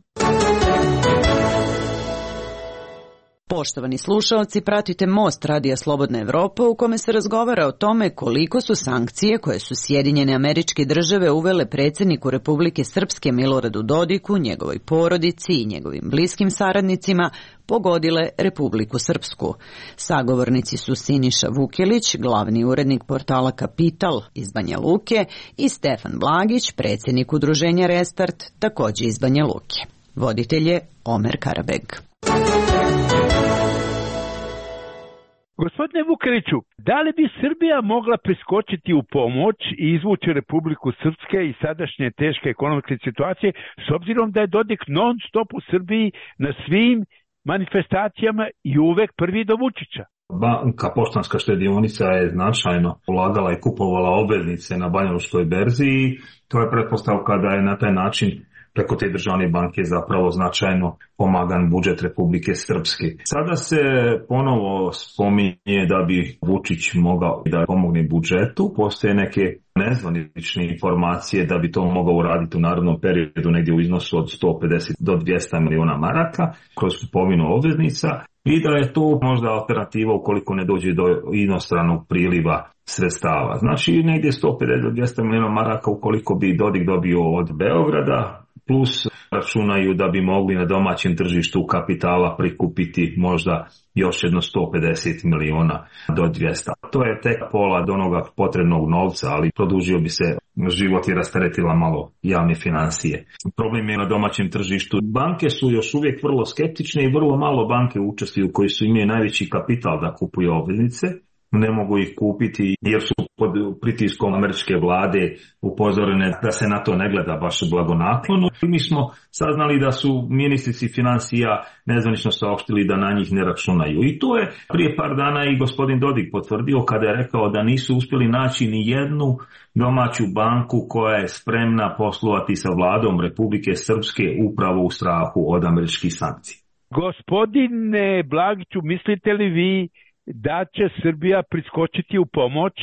Poštovani slušaoci, pratite Most Radija Slobodna Evropa u kome se razgovara o tome koliko su sankcije koje su Sjedinjene Američke Države uvele predsjedniku Republike Srpske Miloradu Dodiku, njegovoj porodici i njegovim bliskim saradnicima pogodile Republiku Srpsku. Sagovornici su Siniša Vukelić, glavni urednik portala Kapital iz Banja Luke, i Stefan Blagić, predsjednik udruženja Restart, također iz Banja Luke. Voditelj je Omer Karabeg. Gospodine Vukeliću, da li bi Srbija mogla priskočiti u pomoć i izvući Republiku Srpske iz sadašnje teške ekonomske situacije, s obzirom da je Dodik non stop u Srbiji na svim manifestacijama i uvek prvi do Vučića? Banka Poštanska štedionica je značajno ulagala i kupovala obveznice na banjalučkoj berzi i to je pretpostavka da je na taj način preko te državne banke zapravo značajno pomagan budžet Republike Srpske. Sada se ponovo spominje da bi Vučić mogao da pomogne budžetu. Postoje neke nezvanične informacije da bi to mogao uraditi u narednom periodu negdje u iznosu od 150 do 200 miliona maraka kroz kupovinu obveznica i da je to možda alternativa ukoliko ne dođe do inostranog priliva sredstava. Znači negdje 150 do 200 miliona maraka ukoliko bi Dodik dobio od Beograda, plus računaju da bi mogli na domaćem tržištu kapitala prikupiti možda još jedno 150 miliona do 200. To je tek pola od onoga potrebnog novca, ali produžio bi se život i rasteretila malo javne financije. Problem je na domaćem tržištu. Banke su još uvijek vrlo skeptične i vrlo malo banke učestvuju koji su imaju najveći kapital da kupuju obveznice. Ne mogu ih kupiti jer su pod pritiskom američke vlade upozorene da se na to ne gleda baš blagonaklono. Mi smo saznali da su ministrici financija nezvanično saopštili da na njih ne računaju. I to je prije par dana i gospodin Dodik potvrdio kada je rekao da nisu uspjeli naći ni jednu domaću banku koja je spremna poslovati sa vladom Republike Srpske upravo u strahu od američkih sankcija. Gospodine Blagiću, mislite li vi da će Srbija priskočiti u pomoć?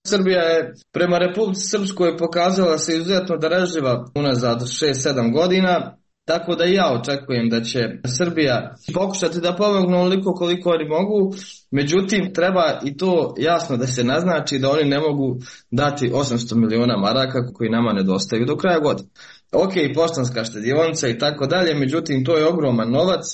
Srbija je prema Republici Srpskoj pokazala se izuzetno darežljiva unazad 6-7 godina, tako da i ja očekujem da će Srbija pokušati da pomogne onoliko koliko oni mogu, međutim treba i to jasno da se naznači da oni ne mogu dati 800 miliona maraka koji nama nedostaju do kraja godine. Ok, Poštanska štedionica i tako dalje, međutim to je ogroman novac.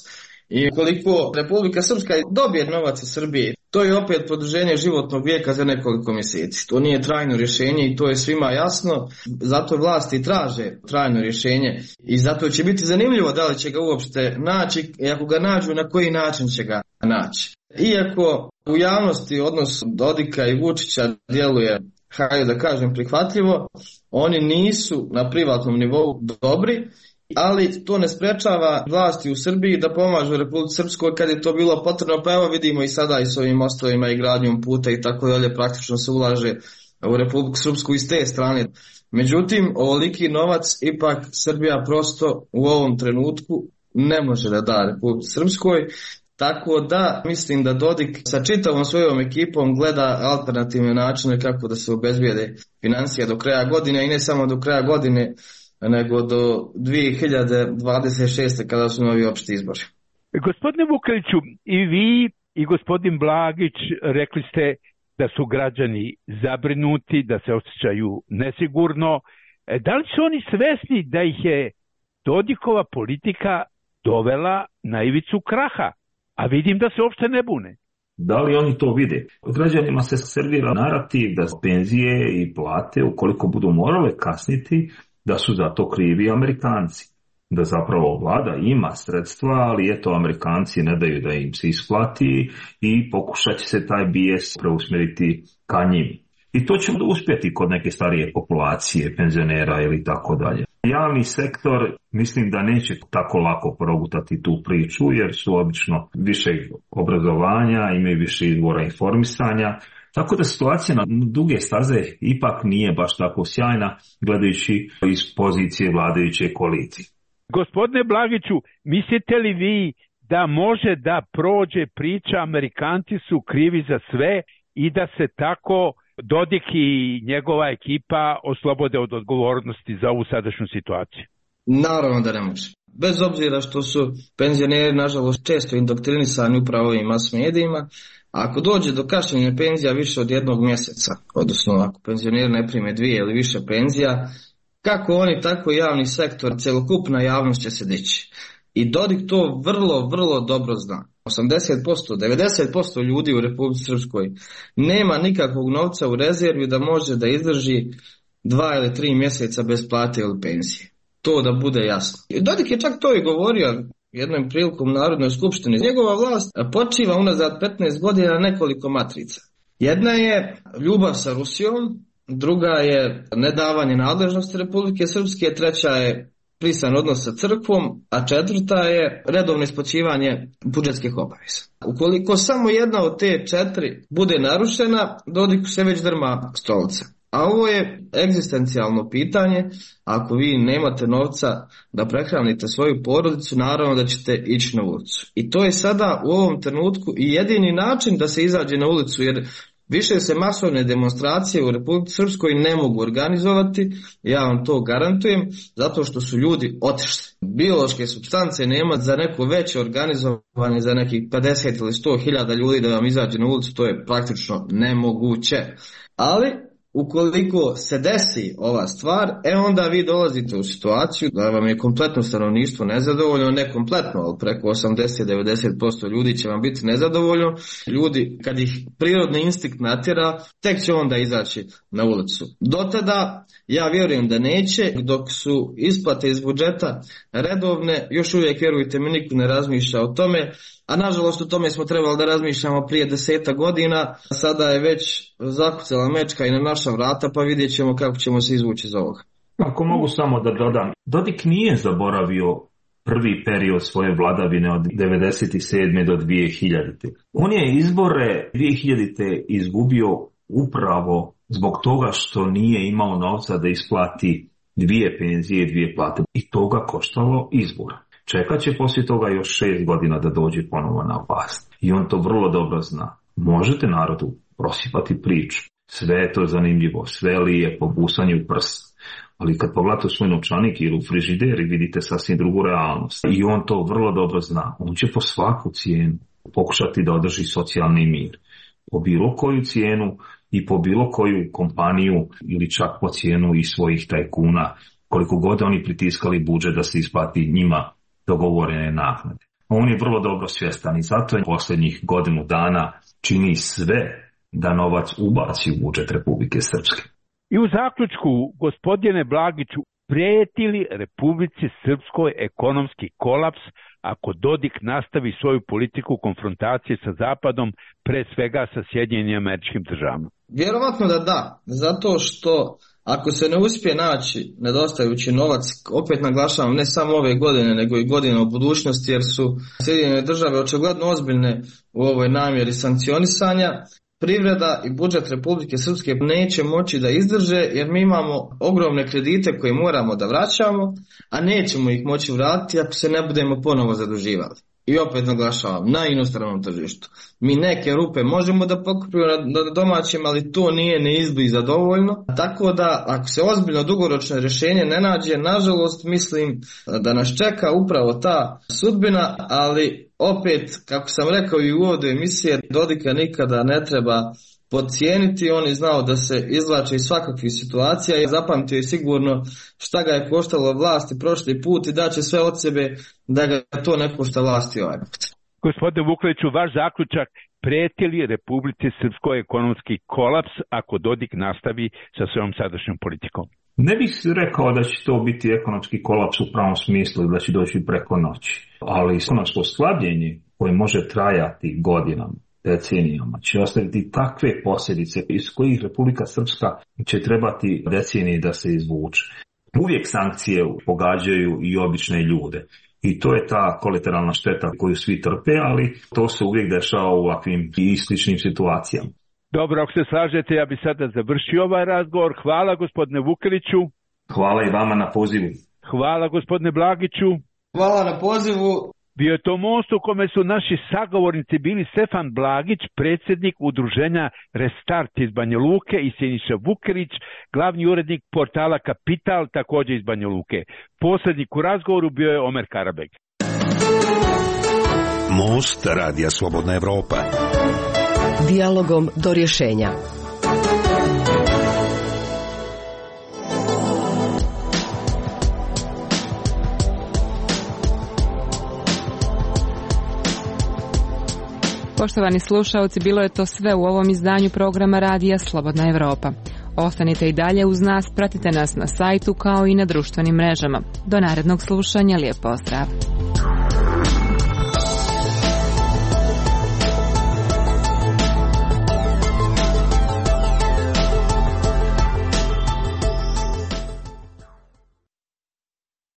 I koliko Republika Srpska dobije novac iz Srbije, to je opet produženje životnog vijeka za nekoliko mjeseci. To nije trajno rješenje i to je svima jasno, zato vlasti traže trajno rješenje i zato će biti zanimljivo da li će ga uopšte naći i ako ga nađu na koji način će ga naći. Iako u javnosti odnos Dodika i Vučića djeluje, hajde da kažem, prihvatljivo, oni nisu na privatnom nivou dobri, ali to ne sprečava vlasti u Srbiji da pomažu Republici Srpskoj kad je to bilo potrebno, pa evo vidimo i sada i s ovim mostovima i gradnjom puta i tako dalje, praktično se ulaže u Republiku Srpsku iz te strane. Međutim, ovoliki novac ipak Srbija prosto u ovom trenutku ne može da da Republici Srpskoj, tako da mislim da Dodik sa čitavom svojom ekipom gleda alternativne načine kako da se obezbijede financija do kraja godine i ne samo do kraja godine, nego do 2026. kada su novi opšti izbori. Gospodine Vukeliću, i vi i gospodin Blagić rekli ste da su građani zabrinuti, da se osjećaju nesigurno. Da li su oni svesni da ih je Dodikova politika dovela na ivicu kraha? A vidim da se uopšte ne bune. Da li oni to vide? Građanima se servira narativ da penzije i plate, ukoliko budu morale kasniti, da su za to krivi Amerikanci. Da zapravo vlada ima sredstva, ali eto Amerikanci ne daju da im se isplati i pokušat će se taj bijes preusmjeriti ka njim. I to će uspjeti kod neke starije populacije, penzionera ili tako dalje. Javni sektor mislim da neće tako lako progutati tu priču jer su obično više obrazovanja, imaju više izvora informisanja. Tako da situacija na duge staze ipak nije baš tako sjajna gledajući iz pozicije vladajuće koalicije. Gospodine Blagiću, mislite li vi da može da prođe priča Amerikanci su krivi za sve i da se tako Dodik i njegova ekipa oslobode od odgovornosti za ovu sadašnju situaciju? Naravno da ne može. Bez obzira što su penzioneri, nažalost, često indoktrinisani upravo ovim mas medijima, ako dođe do kašnjenja penzija više od 1 mjeseca, odnosno ako penzioneri ne prime 2 ili više penzija, kako oni, tako i javni sektor, celokupna javnost će se dići. I Dodik to vrlo, vrlo dobro zna. 80%, 90% ljudi u Republici Srpskoj nema nikakvog novca u rezervi da može da izdrži 2 ili 3 mjeseca bez plate ili penzije. To da bude jasno. Dodik je čak to i govorio jednom prilikom u Narodnoj skupštini. Njegova vlast počiva unazad 15 godina na nekoliko matrica. Jedna je ljubav sa Rusijom, druga je nedavanje nadležnosti Republike Srpske, treća je prisan odnos sa crkvom, a četvrta je redovno isplaćivanje budžetskih obaveza. Ukoliko samo jedna od te 4 bude narušena, Dodiku se već drma stolica. A ovo je egzistencijalno pitanje. Ako vi nemate novca da prehranite svoju porodicu, naravno da ćete ići na ulicu. I to je sada u ovom trenutku i jedini način da se izađe na ulicu, jer više se masovne demonstracije u Republici Srpskoj ne mogu organizovati, ja vam to garantujem, zato što su ljudi otišli. Biološke supstance nema za neko veće organizovanje, za nekih 50 ili 100.000 ljudi da vam izađe na ulicu, to je praktično nemoguće. Ali ukoliko se desi ova stvar, onda vi dolazite u situaciju da vam je kompletno stanovništvo nezadovoljno, ne kompletno, ali preko 80-90% ljudi će vam biti nezadovoljno. Ljudi, kad ih prirodni instinkt natjera, tek će onda izaći na ulicu. Do tada, ja vjerujem da neće, dok su isplate iz budžeta redovne, još uvijek, vjerujte mi, niko ne razmišlja o tome, a nažalost o tome smo trebali da razmišljamo prije 10 godina, sada je već zakucala mečka i na naša vrata, pa vidjet ćemo kako ćemo se izvući iz ovoga. Ako mogu samo da dodam, Dodik nije zaboravio prvi period svoje vladavine od 1997. do 2000. On je izbore 2000. izgubio upravo zbog toga što nije imao novca da isplati 2 penzije i 2 plate. I to ga koštalo izbora. Čekat će poslije toga još 6 godina da dođe ponovo na vlast. I on to vrlo dobro zna. Možete narodu prosipati priču. Sve je to zanimljivo, sve lijepo, busanje u prst. Ali kad pogledate u svoj novčanik ili u frižideri, vidite sasvim drugu realnost. I on to vrlo dobro zna. On će po svaku cijenu pokušati da održi socijalni mir. Po bilo koju cijenu i po bilo koju kompaniju ili čak po cijenu i svojih tajkuna, koliko god oni pritiskali budžet da se isplati njima dogovorene naknade. On je vrlo dobro svjestan i zato je posljednjih godinu dana čini sve da novac ubaci u budžet Republike Srpske. I u zaključku, gospodine Blagiću, prijeti li Republici Srpskoj ekonomski kolaps ako Dodik nastavi svoju politiku konfrontacije sa Zapadom, pre svega sa Sjedinjenim Američkim Državama? Vjerovatno da, zato što ako se ne uspije naći nedostajući novac, opet naglašavam, ne samo ove godine, nego i godine u budućnosti, jer su Sjedinjene Države očigledno ozbiljne u ovoj namjeri sankcionisanja, privreda i budžet Republike Srpske neće moći da izdrže, jer mi imamo ogromne kredite koje moramo da vraćamo, a nećemo ih moći vratiti ako se ne budemo ponovo zaduživali. I opet naglašavam, na inostranom tržištu. Mi neke rupe možemo da pokupimo na domaćem, ali to nije neizbliza dovoljno. Tako da, ako se ozbiljno dugoročno rješenje ne nađe, nažalost mislim da nas čeka upravo ta sudbina, ali opet, kako sam rekao i u uvodu emisije, Dodika nikada ne treba podcijeniti. On je znao da se izvlače iz svakakvih situacija i zapamtio je sigurno šta ga je koštalo vlasti prošli put i daće sve od sebe da ga to ne košta vlasti ovaj put. Gospodine Vukeliću, vaš zaključak, prijeti li Republici Srpskoj ekonomski kolaps ako Dodik nastavi sa svojom sadašnjom politikom? Ne bih rekao da će to biti ekonomski kolaps u pravom smislu i da će doći preko noći, ali ekonomsko slabljenje koje može trajati godinama, decenijama, će ostaviti takve posljedice iz kojih Republika Srpska će trebati decenije da se izvuče. Uvijek sankcije pogađaju i obične ljude. I to je ta kolateralna šteta koju svi trpe, ali to se uvijek dešava u ovakvim i sličnim situacijama. Dobro, ako se slažete, ja bi sada završio ovaj razgovor. Hvala gospodine Vukeliću. Hvala i vama na pozivu. Hvala gospodine Blagiću. Hvala na pozivu. Bio je to most u kome su naši sagovornici bili Stefan Blagić, predsjednik udruženja Restart iz Banja Luke, i Siniša Vukelić, glavni urednik portala Kapital, također iz Banja Luke. Posrednik u razgovoru bio je Omer Karabeg. Most Radija Slobodna Evropa. Dijalogom do rješenja. Poštovani slušaoci, bilo je to sve u ovom izdanju programa Radija Slobodna Evropa. Ostanite i dalje uz nas, pratite nas na sajtu kao i na društvenim mrežama. Do narednog slušanja, lijep pozdrav!